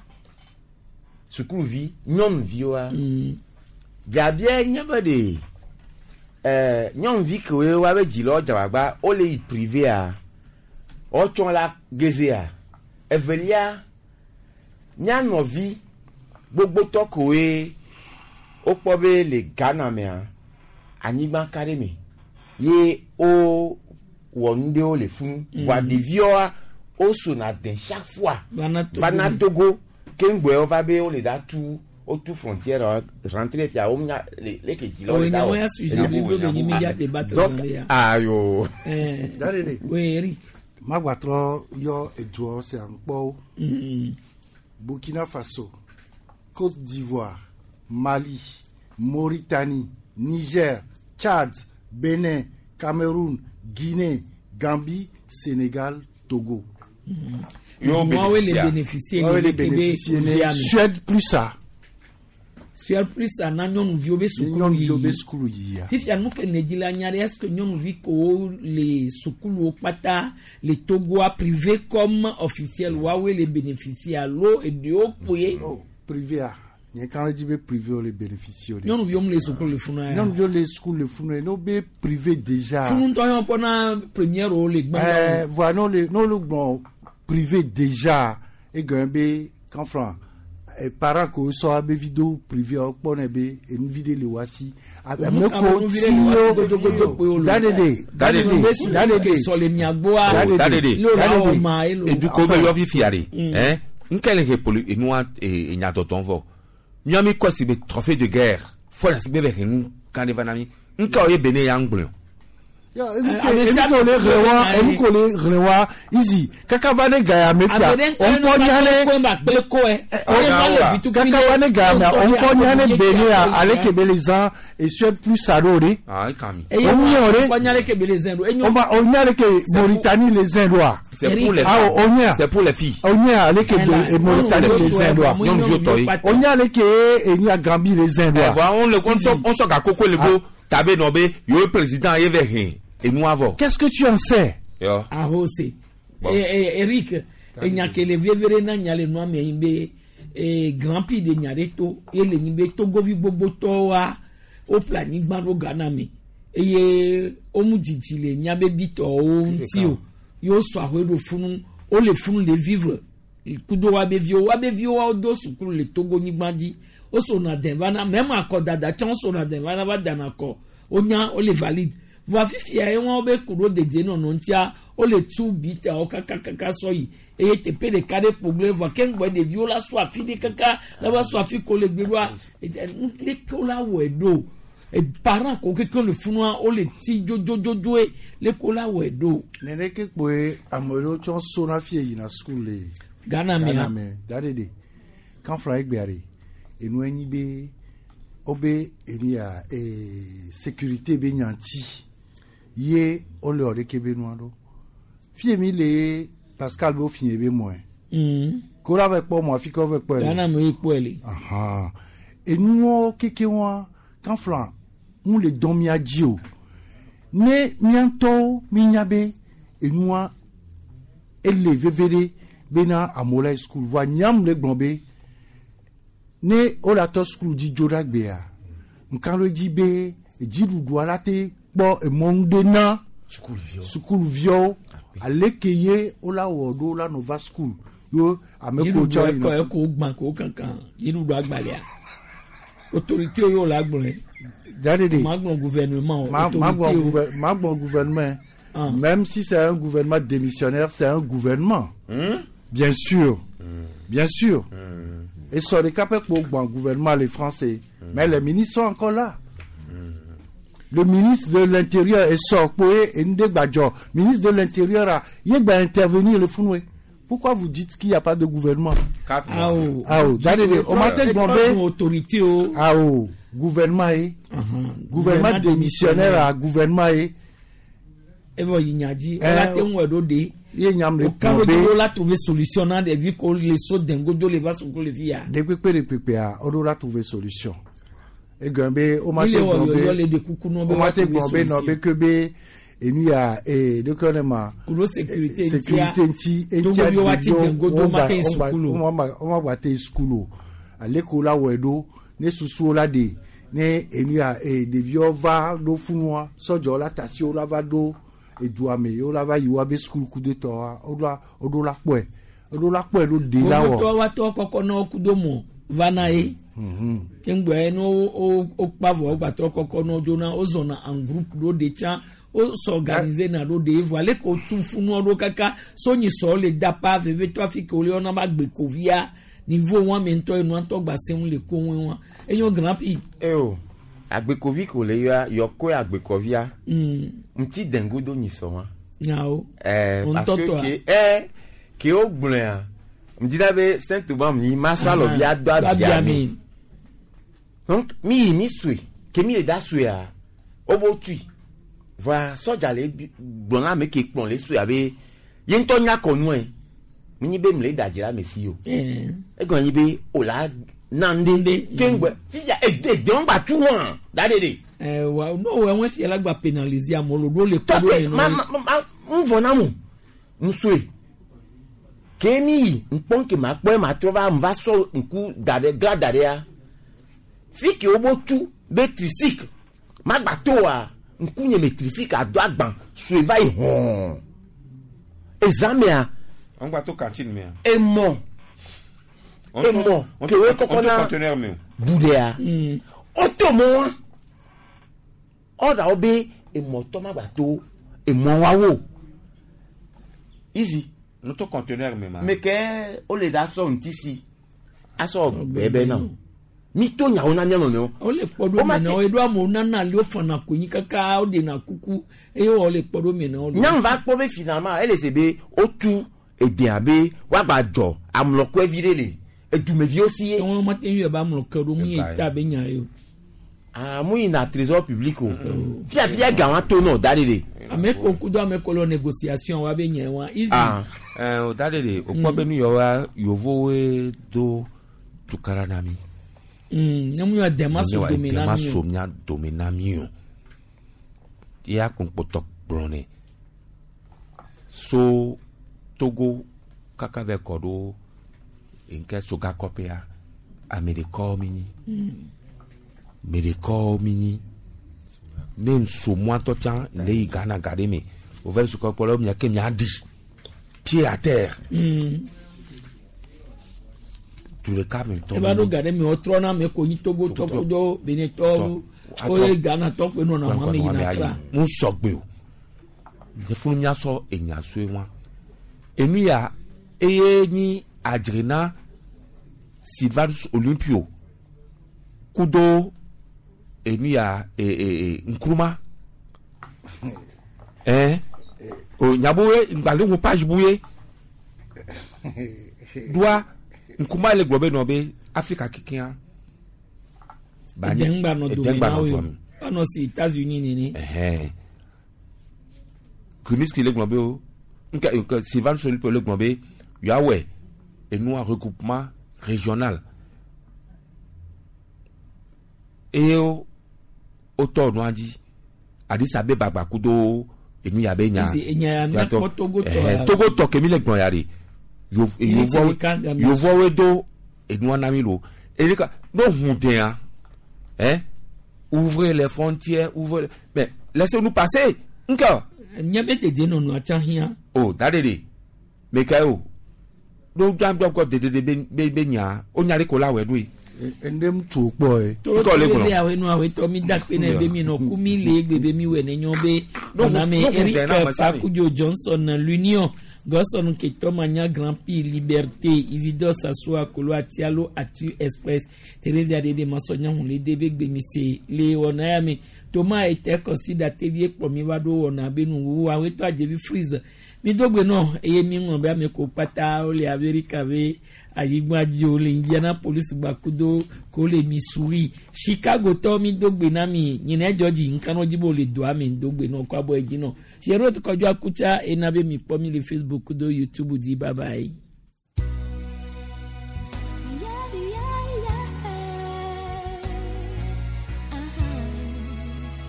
sukuluvi nyɔnuviwoa biabia nye be ɖe ɛɛ nyɔnuvi kewoe wa be dzilawo dze agbagba wole yi privea wotsɔ la gezea evelia nyanɔvi gbogbotɔ kewoe wokpɔ be le Ghana mea anyigba ka ɖe me ye wo wɔ nu ɖewo le funu voa ɖeviwoa wosona de chaque fois vana Togo ke ŋgbɔe wova be wole da tu wotu frontière rentré fia wo nya le leke dzilawo le da wɔ. Donc ayo. Dadede. Oui Eric. Magbatrɔ yɔ eduɔ sia ŋkpɔwo. Burkina Faso, Côte d'Ivoire, Mali, Mauritanie, Niger, Tchad, Bénin, Cameroun, Guinée, Gambie, Sénégal, Togo. Yo bénéficier. Yo le bénéficier. Suède plus ça. Suède plus ça na nyɔnuviwo be sukulu Nyɔnuviwo be sukulu yia. Fifia nu ke ne dzi la nya ɖe est-ce que nyɔnuvi kewo le sukuluwo kpata le Togoa privé comme officiel woawoe le bénéficier alo eɖewo kpoe. Oh, privé a nye kan le dzi be privé wo le bénéficier o de. Nyɔnuviwo mu le sukulu le funu ya. Nyɔnuviwo le sukulu le funu ye n'o be privé déjà. Funu ŋutɔ yɔ kpɔna première wo le gbã. Ɛɛ voilà n'o le n'o le gblɔ privé déjà egɔme be kanfra parents ko sɔ abe vi do privé wo kpɔnɛ be enuvi ɖe le wa si. Ame ko ti wo dadede dadede dadede sɔle miagboa dadede dadede edukɔ bɛ yɔ fifia de ɛn nkɛlɛ he poli enua enyatɔtɔn vɔ miami kɔ si be trophée de guerre fɔ na si be bɛ henu kan de va na mi nkɛ o ye Benin ya ŋgblɔ. Enu ko le ɣle wa enu ko le ɣle wa izi kaka va ne gaya me fia o ŋkɔ nya ne kaka va ne gaya mea o ŋkɔ nya ne Benin ya ale ke be le zã et Suède plus ça ɖo de. O nya o de. O nya le ke be le zã ɖo. O ma o nya le ke Mauritanie le zã ɖoa. C'est pour les Ah o nya. C'est pour les filles. O nya ale ke be Mauritanie le zã ɖoa. Nyɔnuviwo tɔ ye. O nya le ke enya Gambie le zã ɖoa. Ɛ on le on sɔ gakoko le bo tabe nɔ be yewo président ye vɛ hɛn enua vɔ. Qu'est-ce que tu en sais? Yɔ. Ahose. Eric, enya ke le vevere na nya le nua me yin be Grand Prix de nya ɖe to ye le nyi be Togovi gbogbotɔwoa woƒle anyigba ɖo Ghana me eye womu dzidzi le miabe bitɔwo ŋuti o ye wosɔ ahoe ɖo funu wole funu le vivre kudo woabe viwo woabe viwo wodo sukulu le Togo nyigba dzi wosona dɛ vana mɛma akɔdada tsã wosona dɛ vana va dana kɔ wonya wole valide voa fifia ye wɔn be ku ɖo dedienɔnɔ ŋutia wole tu bitawo kakakaka sɔ yi eye teƒe ɖeka ɖe kpogble voa ke ŋgbɔ ɖeviwo la sɔ afi ɖe kaka la va sɔ afi ko le gbe ɖoa leke wo la wɔe ɖo parent ko keke le funua wole ti dzodzodzoe leke wo la wɔe ɖo. Neneke kpoe ame ɖewo tsɔ sona fie yina sukulu le Ghana mea. Ghana me da ɖe ɖe kanfra egbea ɖe enu enyi be wobe enu ya sécurité be nyanti ye wole wɔ ɖeke be nua ɖo fie mi le Pascal be wofie be mɔe ko la va kpɔ mɔ afi ke wova kpɔe le. Ghana me ye kpɔe le. Ahan. Enuwo keke wa kanfra ŋu le dɔn mia dzi o ne mía ŋutɔwo mínya be enua ele veve ɖe bena amewo la yi sukulu voa nyam le gblɔ be ne wole atɔ sukulu dzi dzo ɖe agbea nka ɖo dzi be dziɖuɖua la te kpɔ emɔnu ɖe na sukuluviwo Aleke ye wola wɔ ɖo la nɔ va school yo ame ko tsɔ Dziɖuɖu ekɔ eko gbã ko kankan dziɖuɖu agbalẽa. Autorité yo la gblɔe. Dadede. Ma gblɔ gouvernement o. Ma ma Autorité gblɔ o. ma gblɔ gouvernement. Même si c'est un gouvernement démissionnaire, c'est un gouvernement. Bien sûr. Bien sûr. Et sur les capes pour le gouvernement, les Français. Mais les ministres sont encore là. Le ministre de l'Intérieur est sorti et Ndé Badjo. Ministre de l'Intérieur, il va intervenir le Founoué. Pourquoi vous dites qu'il n'y a pas de gouvernement? Ah oh. Ah oh, Dadede, on m'a dit Etrɔ sun autorité o. Ah oh, gouvernement eh. Gouvernement démissionnaire à gouvernement eh. Evɔ yi nya dzi. Eh, Wola te ŋu ɖo de. Ye nyam le O kan kplɔ do be la trouver solution na ɖevi ko le so dengodo le va sukulu le fi ya. De kpekpe de kpekpea, o ɖo la trouver solution. Egɔn be o ma Mi te le wɔ gblɔ yɔyɔ be le de kuku nɔ be o ma wa te trouver gblɔ be nɔ solution. be ke be enu ya ee ɖeke ne ma Kudo sécurité sécurité ŋuti eŋutia Togoviwo wa ti ɖeviwo dengodo ma te yi sukulu. wo ma gba te yi sukulu o. Ale ko la wɔe ɖo ne susuwo la ɖe ne enu ya ee ɖeviwo va ɖo funua sɔdzɔ la tasiwo la va ɖo edua me ye la va yi wa be sukulu ku de tɔa o ɖo la kpɔe o ɖo la kpɔe ɖo de la wɔ. Gbogbo wa tɔ kɔkɔ na wo kudo mɔ va na ye. Keŋgbɛ ne wo wo wo kpa vɔ wo gbatrɔ kɔkɔ na wo dzona wo zɔna en groupe ɖo de tsã wo s'organiser na ɖo de vɔ ale ko tu funua ɖo kaka sonyi sɔ le dapa vevitɔ afi ke wo le yɔna ba gbekovia niveau wa me ŋutɔ enua ŋutɔ gba seŋu le ko ŋue wa enyo grand prix. eo agbekovi ko le yɔa yɔkɔe agbekovia ŋuti dengodo nyi sɔ wa. Nyawo. Parce que Ŋutɔtɔa. ke ke wo gblɔa ŋdina be saint thomas mi ma sɔ alɔvi ado abia mi donc mi yi mi sue ke mi le da suea wo bo tui voa sɔdza le gblɔ na ame ke kplɔ le sue abe ye ŋutɔ nya kɔnue mi nyi be mi le da dzi la ame si o egɔn nyi be o la na ŋɖe keŋgbɛ fifia ede dewo gba tu wɔn da de de. Wa n'o wɛ ŋue fia la gba pénaliser amewo lo ɖo le kɔ ɖo tɔkpe le ma nɔ ma ma ń vɔ na mo ŋusue ke mi yi ŋkpɔn ke ma kpɔe ma trɔ va va sɔ ŋku da ɖe gla da ɖea fi ke wo bo tu be tricycle ma gba to wa ŋku nye me tricycle ado agban sue va yi hɔn ezamea On va to cantine mea. emɔ emɔ ke wo kɔkɔ na conteneur meo. bu ɖea woto mɔ wa ɔɖa wo be emɔtɔ ma gba to emɔ wa wo easy. No to conteneur me ma. Me ke wole da sɔ ŋuti si asɔ gbɛbɛ na o mi to nyawo na mía nɔnɔewo. Wole kpɔ ɖo me na wo eɖo amewo nana ali wofana konyi kaka woɖena kuku eye wole kpɔ ɖo me na wo. Nyɔnu va kpɔ be finalement ele se be wotu edea be woagba dzɔ amlɔkɔe vi ɖe le edumeviwo si ye. Wɔn ma te ŋu yɛ ba amlɔkɔ ɖo mu yi ta be nya ye o. Aa mu yina trésor public o fiafia ga wa to nɔ da ɖe de. Ame ko kudo ame ko le négociation wa be nya wa easy. Ah. O da de de o kpɔ be nu yɔ wa yovowoe do tukara na mi. Ne mu yɔ dɛmɛ so dome na dɛmɛ mi so o. mía dome na mi o. Ya kpɔnkpɔtɔ gblɔ nɛ. So Togo kaka vɛ kɔ ɖo nke sogakɔƒea ame ɖekawo mi nyi. Ame ɖekawo mi nyi. Ne nso mɔatɔ tsã le yi Ghana ga ɖe me o vɛ sokɔkpɔ la mia ke mia ɖi pied à terre. Du ɖeka me ŋutɔ. Eba ɖo ga ɖe me wotrɔ na ame ko nyi Togo tɔ kudo Benin tɔ oye Ghana tɔ kpe nɔna ho ame yina kra. Mu sɔgbe o. Ne funu miasɔ enya sue wa. Enu ya eye nyi adzrena Sylvanus Olympio kudo enu ya e e e Nkrumah. Ɛn o nyaboye ŋgbalẽ ŋu page buye doa Nkrumah le gblɔ be nɔ be Afrika kekea. Edɛ ŋgba nɔ dome Edɛ ŋgba na nɔ wo dua o. me. Anɔ si États-Unis nene. Ɛhɛn. Kruniski le gblɔ be o nke nke Sylvanus Olympio le gblɔ be yeawɔe enua regroupement régional eye wo wotɔ nua dzi Addis Abeba gba kudo enu ya be nya Esi enya ya míakpɔ Togo tɔ Ɛhɛn, ya. Togo tɔ ke mi le gblɔ ya de Yìí ti ɖeka da mi. yevuawoe do enua na mi lo eye ka no hu dea hein ouvrez les frontières, ouvrez, mais laissez-nous passer nke. Míabe dedienɔnɔa tsã hiã. O da ɖe ɖe meka o ɖo dzɔdzɔ dedede be be be nya o nya ɖe ko la wɔ ɖoe. Endem tu kpɔ ye. Toro toro be awe nu awe tɔ mi da kpe ne be mi nɔ ku mi le egbe be mi wɔ ne nyɔ be ɔna me Eric Pakudzo Johnson l'Union Gɔsɔn Ketɔ Manya Grand Prix Liberté Isidore Sassoua Kolo Atialo Atu Express Theresa Dede Masɔnya Hunle de be gbemise le wɔna ya me Toma Ete Kɔsida Tevie kplɔ mi va ɖo wɔna be nuwuwu awetɔ Adzevi Freeze mi do gbe nɔ eye mi ŋlɔ be ame ko kpata wole Amerika be anyigba dzi wole Indianapolis gbakudo ko le Missouri Chicago tɔ mi do gbe na mi nyina dzɔ dzi nkanɔ dzi be wole doa me do gbe nɔ kɔ abɔ edzi nɔ Sierot Kɔdzo Akutsa ena be mi kpɔ mi le Facebook kudo YouTube dzi. Bye bye.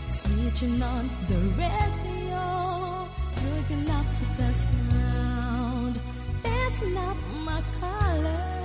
Switching on the radio, looking up to the sound. That's not my color.